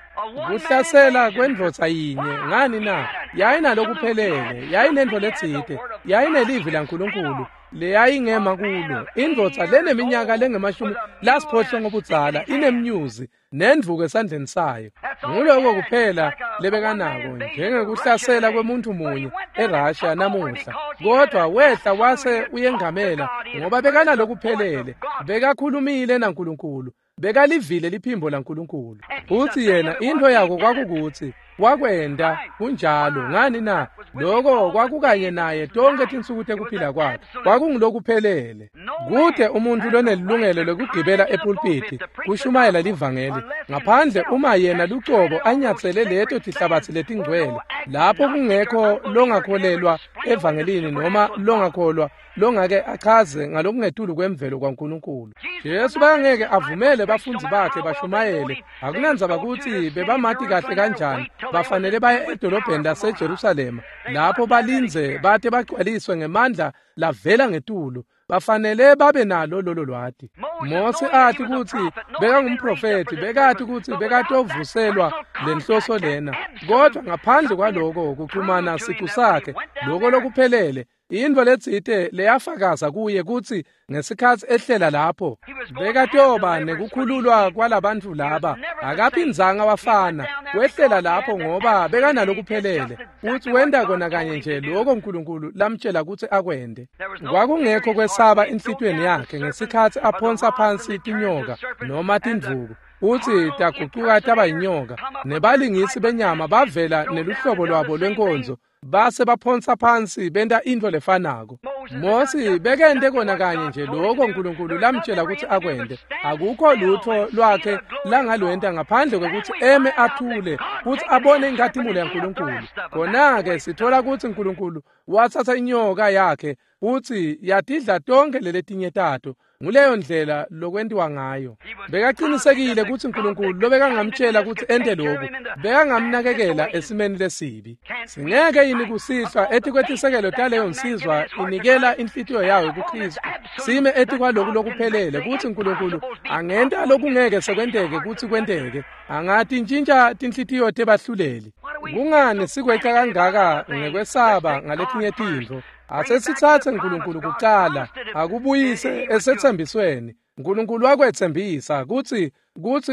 kuhlasela kwendvodza yinye. Ngani na? Yayinalokuphelele, yayinentfo letsite, yayinelivi laNkulunkulu leyayingema kulo. Indvodza leneminyaka lengama-80 budzala inemnyuzi nendvuku esandleni sayo. Nguloko kuphela lebekanako, njengekuhlasela kwemuntu munye eRussia namuhla. Kodwa wehla wase uyengamela ngoba bekanalokuphelele, bekakhulumile naNkulunkulu, bekalivile liphimbo laNkulunkulu. Futsi yena intfo yako kwakukutsi wakwenta kunjalo. Ngani na? Lokho kwakukanye naye tonke tinsuku tekuphila kwakhe, kwakungulokuphelele. Kute umuntfu lonelilungelo lekugibela epulpiti kushumayela livangeli ngaphandle uma yena lucobo anyatsele leto tihlabatsi letingcwele, lapho kungekho longakholelwa evangelini noma longakholwa longake achaze ngalokungetulu kwemvelo kwaNkulunkulu. Jesu bangeke avumele bafundzi bakhe bashumayele, akunandzaba kutsi bebamati kahle kanjani, bafanele baye edolobheni laseJerusalema lapho balindze bate bagcwaliswe ngemandla lavela ngetulu. Bafanele babe nalo lolo lwati. Mose athi kutsi bekangumprofethi, bekati kutsi bekatovuselwa lenhloso lena, kodwa ngaphandle kwaloko kuxhumana sicu sakhe, lokho lokuphelele, intfo letsite leyafakaza kuye kutsi ngesikhatsi ehlela lapho bekatoba nekukhululwa kwalabantfu laba. Akaphindzanga wafana, wehlela lapho ngoba bekanalokuphelele, futsi wenta kona kanye nje lokho Nkulunkulu lamtjela kutsi akwente. Kwakungekho kwesaba enhlitiyweni yakhe ngesikhatsi aphonsa phansi tinyoka noma tindvuku, futsi tagucuka taba yinyoka, nebalingisi benyama bavela neluhlobo lwabo lwenkonzo, base baphonsa phansi benta intfo lefanako. Mosi bekente kona kanye nje lokho Nkulunkulu lamtjela kutsi akwente. Akukho lutfo lwakhe langalwenta ngaphandle kwekutsi eme athule futsi abone inkhatimulo yaNkulunkulu. Khona-ke sithola kutsi Nkulunkulu watsatsa inyoka yakhe futsi yatidla tonkhe leletinye tato. Nguleyo ndlela lokwentiwa ngayo. Bekaqinisekile kutsi Nkulunkulu lobekangamtjela kutsi ente lokhu, bekangamnakekela esimeni lesibi. Singeke yini kusihlwa etikwetisekelo taleyo nsizwa inikela inhlitiyo yayo kuKhristu, sime etikwaloku lokuphelele kutsi Nkulunkulu angenta lokungeke sekwenteke kutsi kwenteke, angatintjintja tinhlitiyo tebahluleli. Kungani sikweca kangaka ngekwesaba ngaletinye tintfo? Asesitsatse Nkulunkulu kucala, akubuyise esetsembisweni. Nkulunkulu wakwetsembisa kutsi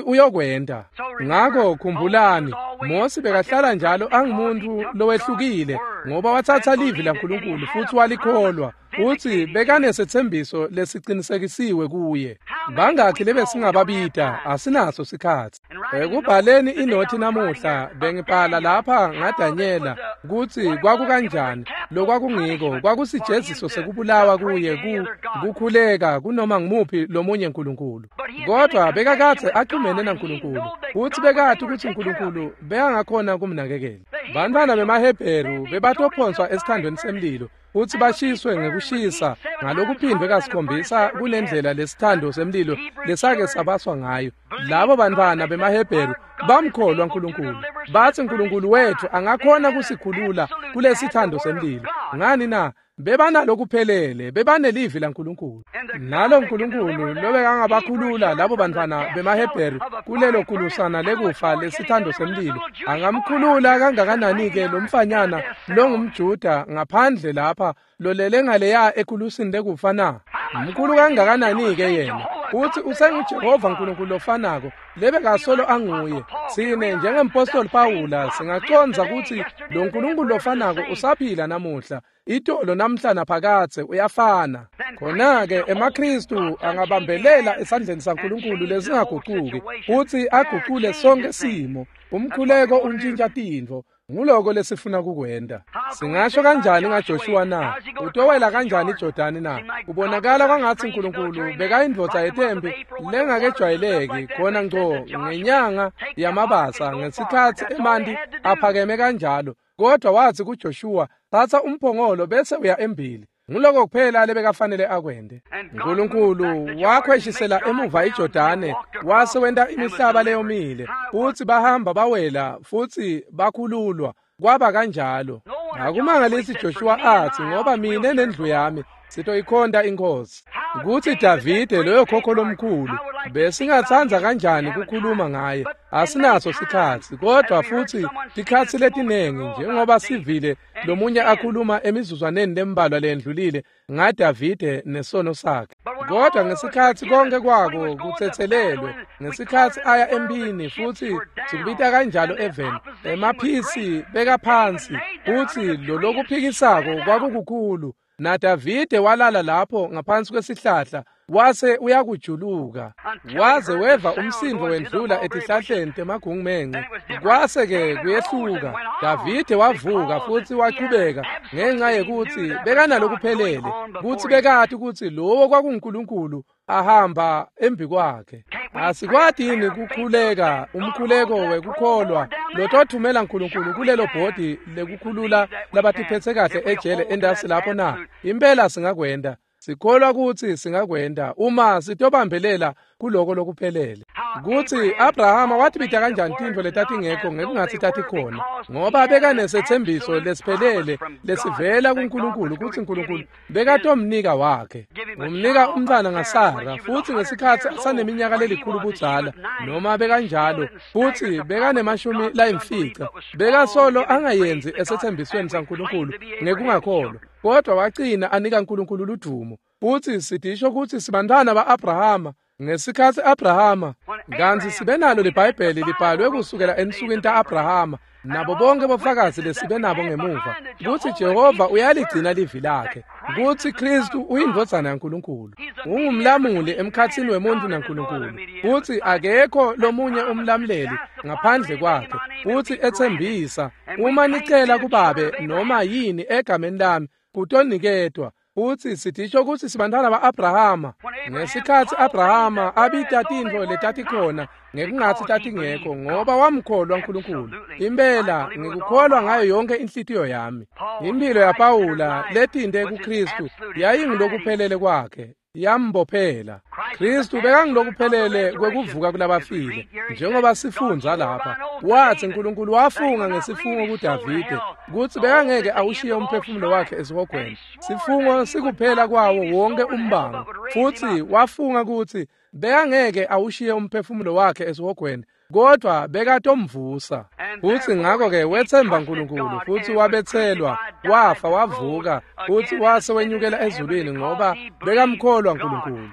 uyokwenta. Ngako khumbulani, Mosi bekahlala njalo angumuntu lowehlukile ngoba watsatsa livi laNkulunkulu futsi walikholwa. Kutsi bekanesetsembiso lesicinisekisiwe kuye. Bangakhi lebesingababita, asinaso sikhatsi. Ekubhaleni inothi namuhla bengibhala lapha ngaDanyela kutsi kwakukanjani lokwakungiko kwakusijeziso sekubulawa kuye kukhuleka kunoma ngumuphi lomunye nkulunkulu. Kodwa bekakadze axhumene naNkulunkulu kutsi bekati kutsi uNkulunkulu bekangakhona kumnakekela. Bantfwana bemaHebheru bebatophonswa esithandweni semlilo futsi bashiswe ngekushisa ngalokuphindwe kasikhombisa kunendlela lesithando semlilo lesake sabaswa ngayo. Labo bantfwana bemaHebheru bamkholwa uNkulunkulu. Batsi uNkulunkulu wethu angakhona kusikhulula kulesithando semlilo. Ngani na? Bebanalokuphelele, bebanelivi laNkulunkulu. Nalo uNkulunkulu lobekangabakhulula labo bantfwana bemaHebheru kulelo kulusana lekufa lesithando semlilo, angamkhulula kangakanani-ke lo mfanyana longumJuda ngaphandle lapha lolele ngaleya ekulusini lekufa na? Mkhulu kangakanani-ke yena? Uthi usenguJehova uNkulunkulu lofanako lebekasolo anguye. Sine njengempostoli Pawula singacondza kutsi lo Nkulunkulu lofanako usaphila namuhla, itolo namhla naphakadze uyafana. Khona-ke emaKhristu angabambelela esandleni saNkulunkulu lesingagucuki kutsi agucule sonke simo. Umkhuleko untshintsha tintfo. Nguloko lesifuna kukwenta. Singasho kanjani ngaJoshua na? Utowela kanjani iJordani na? Kubonakala kwangatsi uNkulunkulu bekayindvodza yetempi lengakejwayeleki khona ngco ngenyanga yamabasa ngesikhatsi emanti aphakeme kanjalo. Kodwa watsi kuJoshua, tsatsa umphongolo bese uya embili. Nguloko kuphela lebekafanele akwente. uNkulunkulu wakhweshisela emuva iJordane wase wenta imihlaba leyomile futsi bahamba bawela futsi bakhululwa. Kwaba kanjalo. Akumangalisi Joshua atsi, ngoba mine nendlu yami sitoyikhonta iNkhosi. Kutsi Davide loyo khokho lomkhulu besingatsandza kanjani kukhuluma ngaye, asinaso sikhatsi. Kodwa futsi tikhatsi letinengi njengoba sivile lomunye akhuluma emizuzwaneni lembalwa lendlulile ngaDavide nesono sakhe. Kodwa ngesikhatsi konke kwako kutsetselelwe, ngesikhatsi aya emphini futsi sikubita kanjalo eveni, emaphisi bekaphansi futsi lolokuphikisako kwakukukhulu. NaDavide walala lapho ngaphansi kwesihlahla wase uyakujuluka waze weva umsindvo wendlula etihlahleni temagungumenxe. Kwase-ke kuyehluka. Davide wavuka futsi wachubeka ngenxa yekutsi bekanalokuphelele kutsi bekati kutsi lowo kwakunguNkulunkulu ahamba embi kwakhe. Asikwati yini kukhuleka umkhuleko wekukholwa lotothumela uNkulunkulu kulelo bhodi lekukhulula labatiphethe kahle ejele endasi lapho na? Impela singakwenta. Sikholwa kutsi singakwenta uma sitobambelela kuloko lokuphelele. Kutsi Abrahama watibita kanjani tintfo letatingekho ngekungatsi tatikhona, ngoba bekanesetsembiso lesiphelele lesivela kuNkulunkulu kutsi uNkulunkulu bekatomnika wakhe. Umnika umntfwana ngaSara futsi ngesikhatsi asaneminyaka lelikhulu budzala noma bekanjalo futsi bekanemashumi layimfica, bekasolo angayenzi esetsembisweni saNkulunkulu ngekungakholwa, kodwa wagcina anika uNkulunkulu ludumo. Futsi sidisho kutsi sibantfwana ba-Abrahama ngesikhatsi Abrahama, kantsi sibe nalo liBhayibheli libhalwe kusukela ensukwini ta-Abrahama nabo bonke bofakazi lesibe nabo ngemuva kutsi Jehova uyaligcina livi lakhe, kutsi Khristu uyindvodzana yaNkulunkulu, ungumlamuli emkhatsini wemuntfu naNkulunkulu, futsi akekho lomunye umlamuleli ngaphandle kwakhe. Futsi etsembisa, uma nicela kuBabe noma yini egameni lami kutoniketwa. Futsi sidisho kutsi sibantfwana ba-Abrahama ngesikhatsi Abrahama abita tintfo letatikhona ngekungatsi tatingekho, ngoba wamkholwa uNkulunkulu. Impela ngikukholwa ngayo yonke inhlitiyo yami. Impilo yaPawula letinte kuKhristu yayingulokuphelele kwakhe, yambophela. Khristu bekangulokuphelele kwekuvuka kulabafile. Njengoba sifundza lapha, watsi uNkulunkulu wafunga ngesifungo kuDavide kutsi bekangeke awushiye umphefumulo wakhe esihogweni. Sifungo sikuphela kwawo wonke umbango, futsi wafunga kutsi bekangeke awushiye umphefumulo wakhe esihogweni, kodwa bekatomvusa. Futsi ngakho-ke wetsemba uNkulunkulu futsi wabetselwa, wafa, wavuka, futsi wase wenyukela ezulwini ngoba bekamkholwa uNkulunkulu.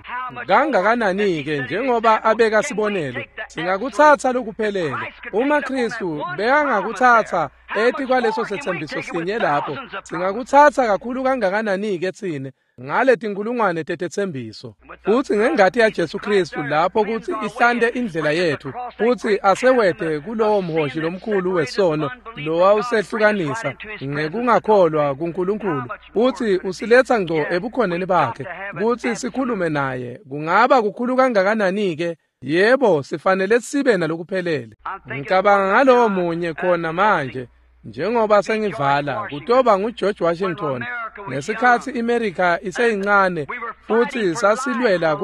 Kangakanani-ke njengoba abeka sibonelo, Singakutsatsa lokuphelele. Uma Kristu bekangakutsatsa etikwaleso setsembiso sinye lapho, singakutsatsa kakhulu kangakanani-ke tsine ngale tinkulungwane tetetsembiso. Futsi ngengati yaJesu Kristu lapho kutsi ihlante indlela yethu, futsi asewete kulowo mhoshi lomkhulu wesono lowawusehlukanisa ngekungakholwa kuNkulunkulu, futsi usiletsa ngco ebukhoneni bakhe kutsi sikhulume naye. Kungaba kukhulu kangakanani-ke? Yebo, sifanele sibe nalokuphelele. Ngicabanga ngalowo munye khona manje. Njengoba sengivala, kutoba nguGeorge Washington ngesikhatsi iMerica iseyincane futsi sasilwela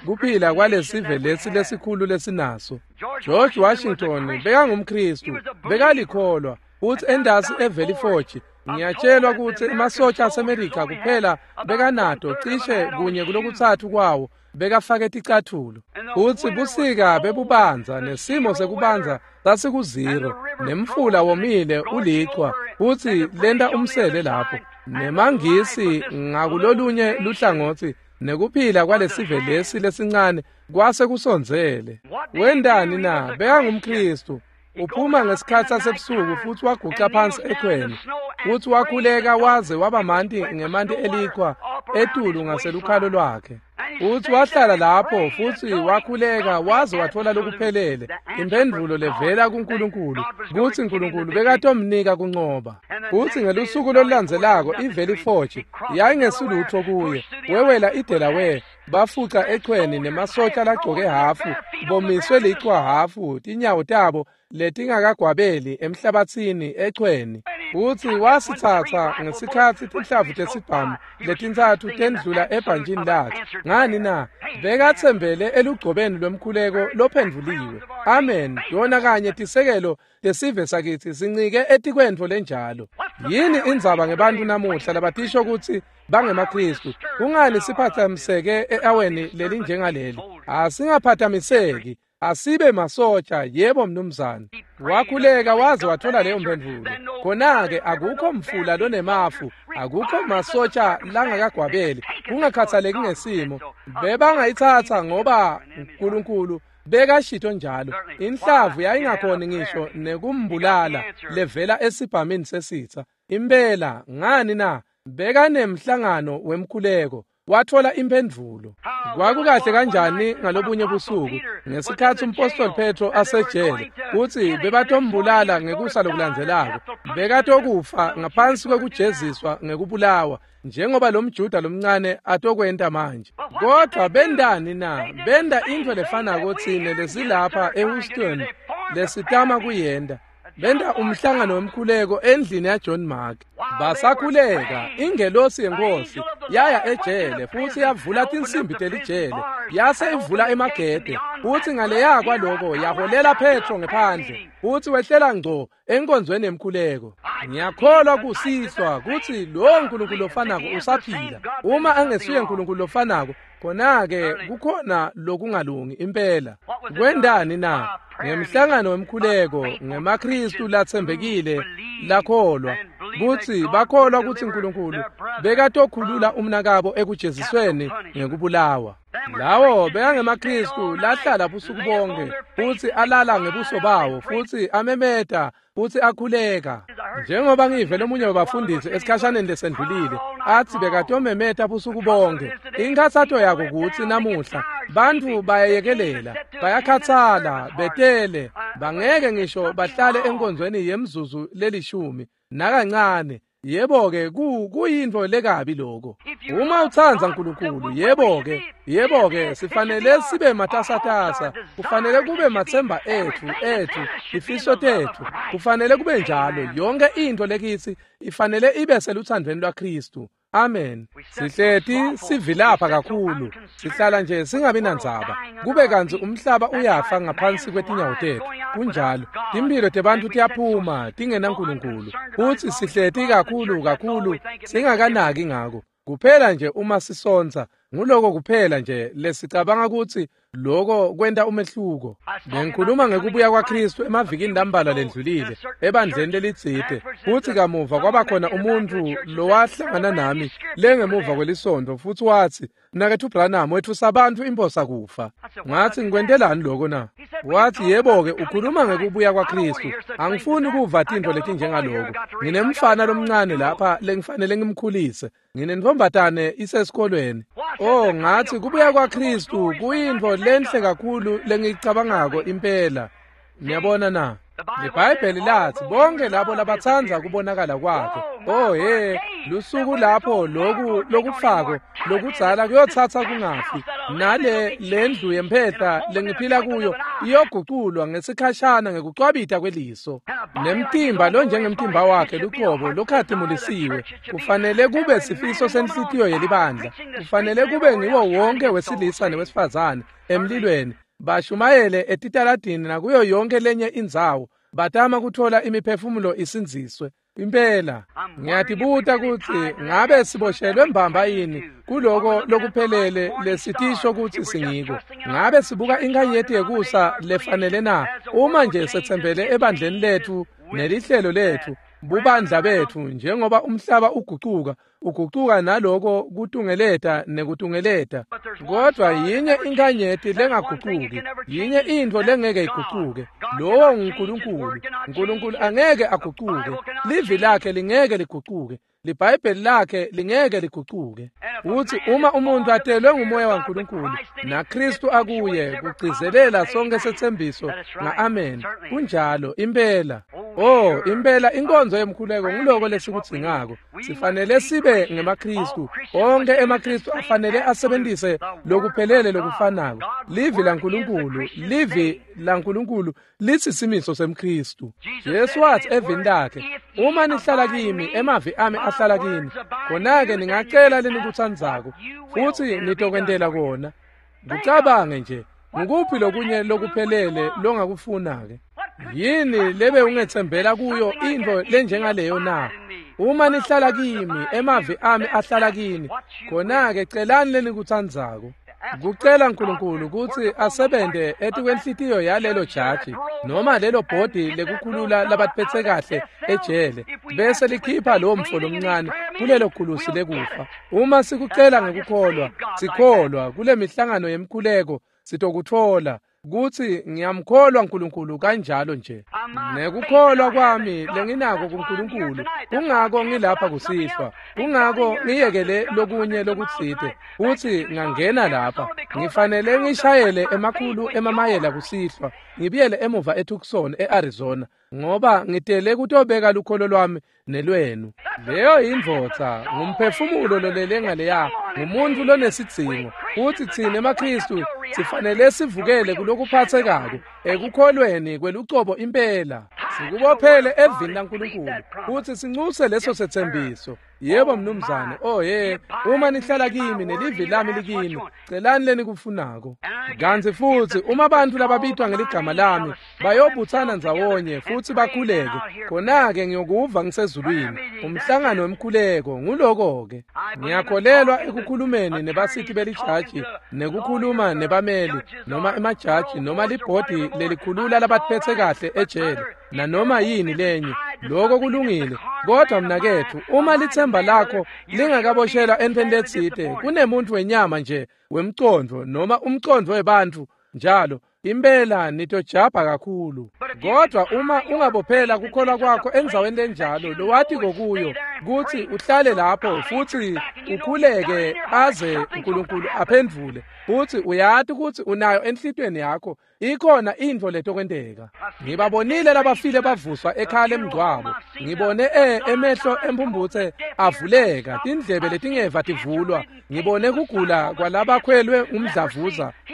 kuphila kwalesive lesi lesikhulu lesinaso. George Washington bekangumKristu, bekalikholwa, futsi endasi eValley Forge ngiyatshelwa kutsi emasotja aseMerica kuphela bekanato cishe kunye kulokutsatfu kwawo bekafake ticathulo. Futsi busika bebubanza nesimo sekubanza sasikuziro, nemfula womile ulichwa, futsi lenta umsele lapho, nemaNgisi ngakulolunye luhlangotsi, nekuphila kwalesive lesi lesincane kwase kusondzele. Wendani na? BekangumKristu. Uphuma ngesikhatsi sasebusuku futsi waguca phansi ekhweni, futsi wakhuleka waze waba manti ngemanti elikhwa etulu ngaselukhalo lwakhe. Futsi wahlala lapho futsi wakhuleka waze watfola lokuphelele, imphendvulo levela kuNkulunkulu, kutsi Nkulunkulu bekatomnika kuncoba. Futsi ngelusuku lolulandzelako iValley Forge yayingesilutfo kuye, wewela iDelaware, bafuca echweni nemasotja lagcoke hhafu, bomiswe lichwa hhafu, tinyawo tabo letingakagwabeli emhlabatsini echweni. Futsi wasitsatsa ngesikhatsi tinhlavu tesibhamu letintsatfu tendlula ebhantjini lakhe. Ngani na? Bekatsembele elugcobeni lwemkhuleko lophendvuliwe. Amen. Yona kanye tisekelo tesive sakitsi sincike etikwentfo lenjalo. Yini indzaba ngebantfu namuhla labatisho kutsi bangemaKristu? Kungani siphathamiseke e-aweni lelinjengaleli? Asingaphathamiseki. Asibe masotsha, yebo mnumzane. Wakhuleka waze wathola leyo mphendvulo. Khona-ke akukho mfula lonemafu, akukho masotsha langakagwabeli, kungakhathaleki ngesimo. Bebangayitsatsa ngoba uNkulunkulu bekashito njalo. Inhlavu yayingakhoni ngisho nekumbulala levela esibhamini sesitsa. Impela, ngani na? Bekanemhlangano wemkhuleko. Watfola imphendvulo. Kwakukahle kanjani ngalobunye busuku ngesikhatsi umpostoli Petro asejele, kutsi bebatombulala ngekusa lokulandzelako, bekatokufa ngaphansi kwekujeziswa ngekubulawa, njengoba lo mJuda lomncane atokwenta manje. Kodwa bendani na? Benda intfo lefanako tsine lesilapha eHouston lesitama kuyenta. Benta umhlangano wemkhuleko endlini yaJohn Mark. Basakhuleka, ingelosi yenkosi yaya ejele futsi yavula tinsimbi telijele, yase ivula emagede, futsi ngaleya kwaloko yaholela Petro ngephandle, futsi wehlela ngco enkonzweni yemkhuleko. Ngiyakholwa kusihlwa kutsi lowo Nkulunkulu lofanako usaphila. Uma angesuye Nkulunkulu lofanako, khona-ke kukhona lokungalungi impela. Kwendani na? Ngemhlangano wemkhuleko ngemaKristu latsembekile lakholwa kutsi bakholwa kutsi Nkulunkulu bekatokhulula umnakabo ekujezisweni ngekubulawa. Lawo bekangemaKristu lahlala busuku bonke futsi alala ngebuso bawo futsi amemeta futsi akhuleka. Njengoba ngive lomunye wabafundisi esikhashaneni lesendlulile athi bekatomemeta busuku bonke. Inkhatsato yako kutsi namuhla bantfu bayayekelela, bayakhatsala, betele, bangeke ngisho bahlale enkonzweni yemzuzu lelishumi nakancane. Yebo-ke, kuyintfo lekabi lokho. Uma utsandza Nkulunkulu, yebo-ke, sifanele sibe matasatasa, kufanele kube matsemba etfu, tifiso tetfu, kufanele kube njalo. Yonke intfo lekitsi ifanele ibe seluthandweni lwaKristu. Amen. Sihleti sivilapha kakhulu, sihlala nje singabi nandzaba, kube kantsi umhlaba uyafa ngaphansi kwetinyawo tetfu. Kunjalo, timphilo tebantfu tiyaphuma tingenaNkulunkulu, futsi sihleti kakhulu kakhulu singakanaki ngako. Kuphela nje uma sisontsa, nguloko kuphela nje lesicabanga kutsi Loko kwenta umehluko. Bengikhuluma ngekubuya kwaKhristu emavikini lambalwa lendlulile ebandleni lelitsite, futsi kamuva kwabakhona umuntfu lowahlangana nami lengemuva kwelisontfo futsi watsi, "Mnaketfu Branham, wetfusa bantfu imphosa kufa." Ngatsi, "Ngikwentelani loko na?" Watsi, "Yebo-ke, ukhuluma ngekubuya kwaKhristu. Angifuni kuva tintfo letinjengaloko. Nginemfana lomncane lapha lengifanele ngimkhulise. Nginentfombatane isesikolweni." Oh, ngatsi, kubuya kwaKhristu kuyintfo lenhle kakhulu lengiyicabangako impela. Niyabona na? LiBhayibheli latsi bonke labo labatsandza kubonakala kwakhe. Oh he, lusuku lapho loku lokufako lokudzala kuyotsatsa kungafi, nale lendlu yemphehla lengiphila kuyo iyoguculwa ngesikhashana ngekucwabita kweliso. Nemtimba lonjengemtimba wakhe luqobo lokhatimulisiwe kufanele kube sifiso senhlitiyo yelibandla, kufanele kube ngiwo wonke wesilisa newesifazane emlilweni, bashumayele etitaladini nakuyo yonke lenye indzawo, batama kuthola imiphefumulo isindziswe. Impela ngiyatibuta kutsi ngabe siboshelwe mbamba yini kuloko lokuphelele lesitisho kutsi singiko. Ngabe sibuka inkhanyeti yekusa lefanele na? Uma nje setsembele ebandleni letfu nelihlelo letfu, bubandla betfu, njengoba umhlaba ugucuka, ugucuka naloko kutungeleta nekutungeleta, kodvwa yinye inkhanyeti lengagucuki, yinye intfo lengeke igucuke, lowo nguNkulunkulu. Nkulunkulu angeke agucuke, livi lakhe lingeke ligucuke, liBhayibheli lakhe lingeke ligucuke. Utsi uma umuntu atelwe ngumoya waNkulunkulu naKhristu akuye, kugcizelela sonke setsembiso nga-amen. Kunjalo impela. Oh, impela inkonzo yemkhuleko nguloko lesikudzingako. Sifanele sibe ngemaKhristu. Onke emaKhristu afanele asebentise lokuphelele lokufanako. Livi laNkulunkulu, livi laNkulunkulu litsi simiso semKhristu. Jesu watsi evini lakhe, "Uma nihlala kimi, emavi ami ahlala kini, khona-ke ningacela lenikutsandzako, futsi nitokwentela kona." Kucabange nje, ngukuphi lokunye lokuphelele longakufuna-ke? Yini lebe ungetsembela kuyo intfo lenjengaleyo na? Uma nihlala kimi, emavi ami ahlala kini, khona-ke celani lenikutsandzako. Kucela Nkulunkulu kutsi asebente etikwenhlitiyo yalelo jaji noma lelo bhodi lekukhulula labaphetse kahle ejele, bese likhipha lowo mfo lomncane kulelo gulusi lekufa. Uma sikucela ngekukholwa, sikholwa kule mihlangano yemkhuleko, sitokutfola kutsi ngiyamkholwa Nkulunkulu kanjalo nje. Nekukholwa kwami lenginako kuNkulunkulu, kungako ngilapha kusihlwa, kungako ngiyekele lokunye lokutsite futsi ngangena lapha. Ngifanele ngishayele emakhulu emamayela kusihlwa, ngibuyele emuva eTucson eArizona, ngoba ngitele kutobeka lukholo lwami nelwenu. Leyo yindvodza, ngumphefumulo lolele ngaleya, ngumuntu lonesidzingo. Futsi tsine emaKhristu sifanele sivukele kulokuphatsekako ekukholweni kwelucobo impela, sikubophele evini laNkulunkulu futsi sincuse leso setsembiso. Yebo mnumzane. Oh ye, uma nihlala kimi nelivi lami likini, celani lenikufunako. Kantsi futsi uma bantfu lababitwa ngeligama lami bayobutsana ndzawonye futsi bakhuleke, khona-ke ngiyokuva ngisezulwini. Umhlangano wemkhuleko nguloko-ke. Ngiyakholelwa ekukhulumeni nebasiti belijaji nekukhuluma nebameli noma emajaji noma libhodi lelikhulula labaphetse kahle ejele nanoma yini lenye. Loko kulungile, kodwa mnaketfu, uma litsemba lakho lingakaboshelwa entfweni letsite, kunemuntfu wenyama nje wemcondvo noma umcondvo webantfu njalo, impela nitojabha kakhulu. Kodwa uma ungabophela kukholwa kwakho endzaweni lenjalo lowatiko kuyo kutsi uhlale lapho futsi ukhuleke aze Nkulunkulu aphendvule, futsi uyati kutsi unayo enhlitiyweni yakho, ikhona intfo letokwenteka. Ngibabonile labafile bavuswa ekhaya lemngcwabo. Ngibone emehlo emphumbutse avuleka, tindlebe letingeva tivulwa. Ngibone kugula kwalabakhwelwe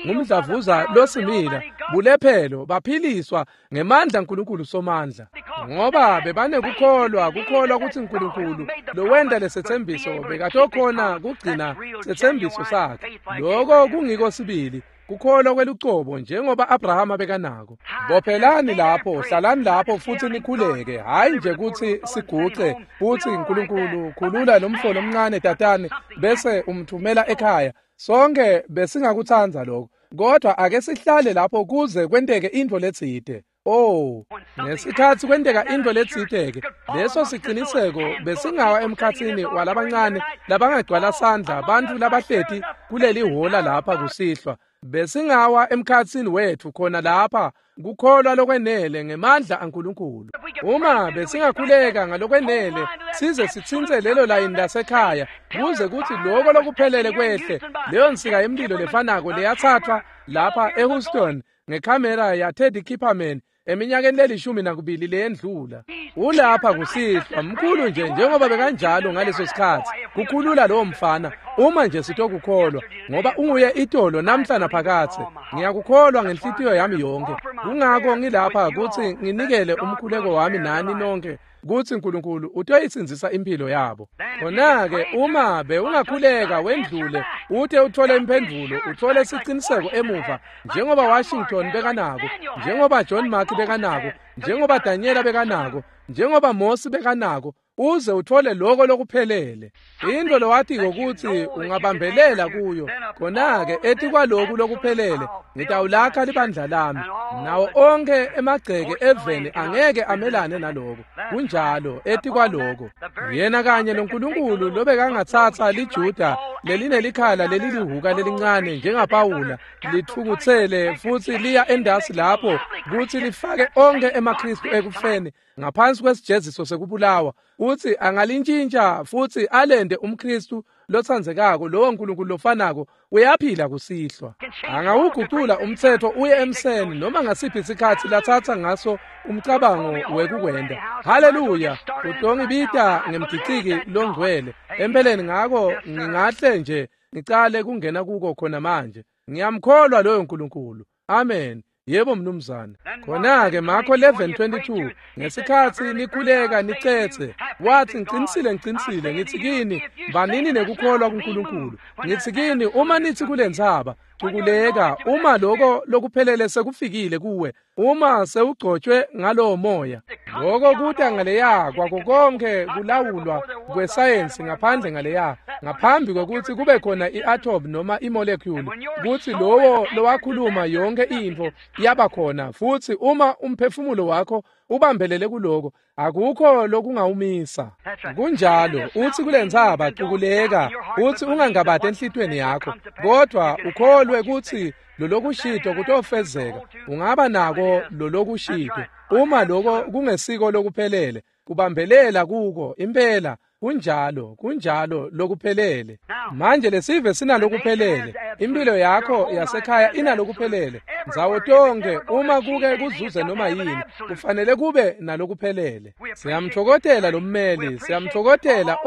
ngumdlavuza losimila, bulephelo baphiliswa ngemandla Nkulunkulu somandla, ngoba bebanekukholwa, kukholwa kutsi Nkulunkulu lowenta lesetsembiso bekatokhona kugcina setsembiso sakhe. Loko kungiko sibili kukholwa kwelucobo njengoba Abrahama bekanako. Bophelani lapho, hlalani lapho futsi nikhuleke, hhayi nje kutsi siguce futsi Nkulunkulu khulula lo mfo lomncane tatane bese umthumela ekhaya. Sonke besingakutsandza lokho. Kodwa ake sihlale lapho kuze kwenteke intfo letsite. Oh, ngesikhatsi kwenteka intfo letsite-ke, leso siciniseko besingawa emkhatsini walabancane labangagcwala sandla bantfu labahleti kuleli hhola lapha kusihlwa. Besingawa emkhatsini wetfu khona lapha kukholwa lokwenele ngemandla aNkulunkulu. Uma besingakhuleka ngalokwenele size sitsintse lelo layini lasekhaya kuze kutsi loko lokuphelele kwehle, leyo nsika yemlilo lefanako leyatsathwa lapha eHouston ngekhamera ya Teddy Kipperman eminyakeni leli-12 leyendlula. Ulapha kusihlwa mkhulu nje njengoba bekanjalo ngaleso sikhatsi kukhulula lowo mfana uma nje sitokukholwa, ngoba unguye itolo namhla naphakathe. Ngiyakukholwa ngenhlitiyo yami yonke. Kungako ngilapha kutsi nginikele umkhuleko wami nani nonke kutsi uNkulunkulu utoyisindzisa impilo yabo. Khona-ke uma bewungakhuleka wendlule ute uthole imphendvulo, uthole siciniseko emuva, njengoba Washington bekanako, njengoba John Mark bekanako, njengoba Daniela bekanako, njengoba Mosi bekanako, uze uthole loko lokuphelele. Into lowatiko kutsi ungabambelela kuyo. Khona-ke etikwaloku lokuphelele ngitawulakha libandla lami, nawo onkhe emagceke eveni angeke amelane naloko. Kunjalo, etikwaloko yena kanye loNkulunkulu lobekangatsatsa liJuda lelinelikhala lelilihuka lelincane njengaPawula litfukutsele futsi liya endasi lapho kutsi lifake onkhe emaKhristu ekufeni ngaphansi kwesijeziso sekubulawa, utsi angalintshintsha futsi alende umKhristu lotsandzekako. Lowo Nkulunkulu lofanako uyaphila kusihlwa. Angawugucula umtsetfo uye emseni noma ngasiphi isikhatsi latsatsa ngaso umcabango wekukwenta. Haleluya! Utongibita ngemgiciki longcwele. Empeleni ngako ngingahle nje ngicale kungena kuko khona manje. Ngiyamkholwa loyo Nkulunkulu. Amen. Yebo mnumzane. Khona-ke Marko 11:22 ngesikhatsi nikhuleka nicetse, wathi ngicinisile ngicinisile ngithi kini, banini nekukholwa kuNkulunkulu. Ngithi kini, uma nithi kulentsaba cukuleka, uma loko lokuphelele sekufikile kuwe, uma sewugcotshwe ngalowo moya, loko kuta ngaleya kwako konke kulawulwa kwesayensi ngaphandle ngaleya, ngaphambi kwekutsi kube khona i-atom noma i-molecule, kutsi lowo lowakhuluma yonke intfo yaba khona. Futsi uma umphefumulo wakho ubambelele kuloko, akukho lokungawumisa. Kunjalo, uthi kulentsaba cukuleka, uthi ungangabati enhlitiyweni yakho, kodwa ukholwe kutsi lolokushito kutofezeka. Ungaba nako lolokushito uma loko kungesiko lokuphelele, kubambelela kuko impela. Kunjalo, kunjalo lokuphelele. Manje lesive sinalokuphelele. Impilo yakho yasekhaya inalokuphelele. Ndzawo tonke uma kuke kuzuze noma yini, kufanele kube nalokuphelele. Siyamthokotela lo mmeli, siyamthokotela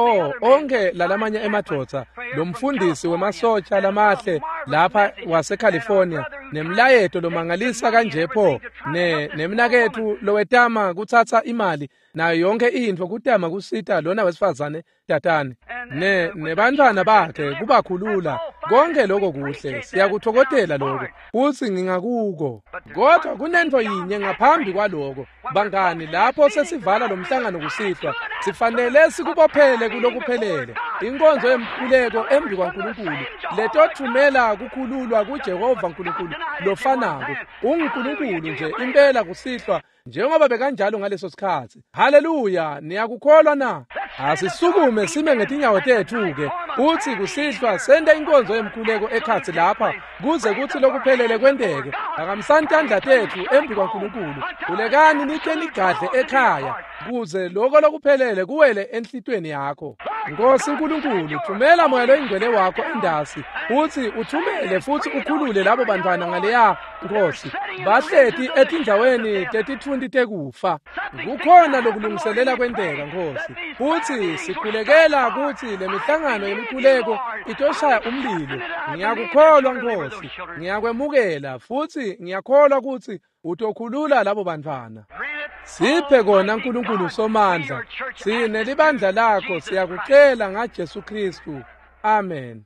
onke lalamanye emadvodza, lo mfundisi wemasotsha lamahle lapha waseCalifornia, nemlayeto lomangalisa kanje pho, nemnaketfu lowetama kutsatsa imali nayo yonke intfo kutama kusita lona wesifazane tatane nebantfwana bakhe kubakhulula. Konke lokho kuhle, siyakuthokotela lokho, futsi ngingakuko. Kodwa kunentfo yinye ngaphambi kwaloko, bangani, lapho sesivala lo mhlangano kusihlwa, sifanele sikubophele kulokuphelele, inkonzo yemkhuleko embi kwaNkulunkulu letothumela kukhululwa kuJehova Nkulunkulu lofanako. UnguNkulunkulu nje impela kusihlwa njengoba bekanjalo ngaleso sikhatsi. Haleluya! Niyakukholwa na? Asisukume sime ngetinyawo tetfu-ke, utsi kusihlwa sente inkonzo yemkhuleko ekhatsi lapha kuze kutsi lokuphelele kwenteke. Phakamisani tandla tetfu embi kwaNkulunkulu, khulekani nite nigadle ekhaya kuze loko lokuphelele kuwele enhlitiyweni yakho. Nkosi Nkulunkulu, thumela moya loyingcwele wakho endasi, utsi uthumele futsi ukhulule labo bantfwana ngaleya, Nkosi, bahleti etindzaweni tetitfunti tekufa. Kukhona lokulungiselela kwenteka, Nkosi, futsi sikhulekela kutsi lemihlangano yemikhuleko itoshaya umlilo. Ngiyakukholwa, Nkosi, ngiyakwemukela, futsi ngiyakholwa kutsi utokhulula labo bantfwana. Siphe kona Nkulunkulu Somandla, sine libandla lakho siyakucela ngaJesu Khristu. Amen.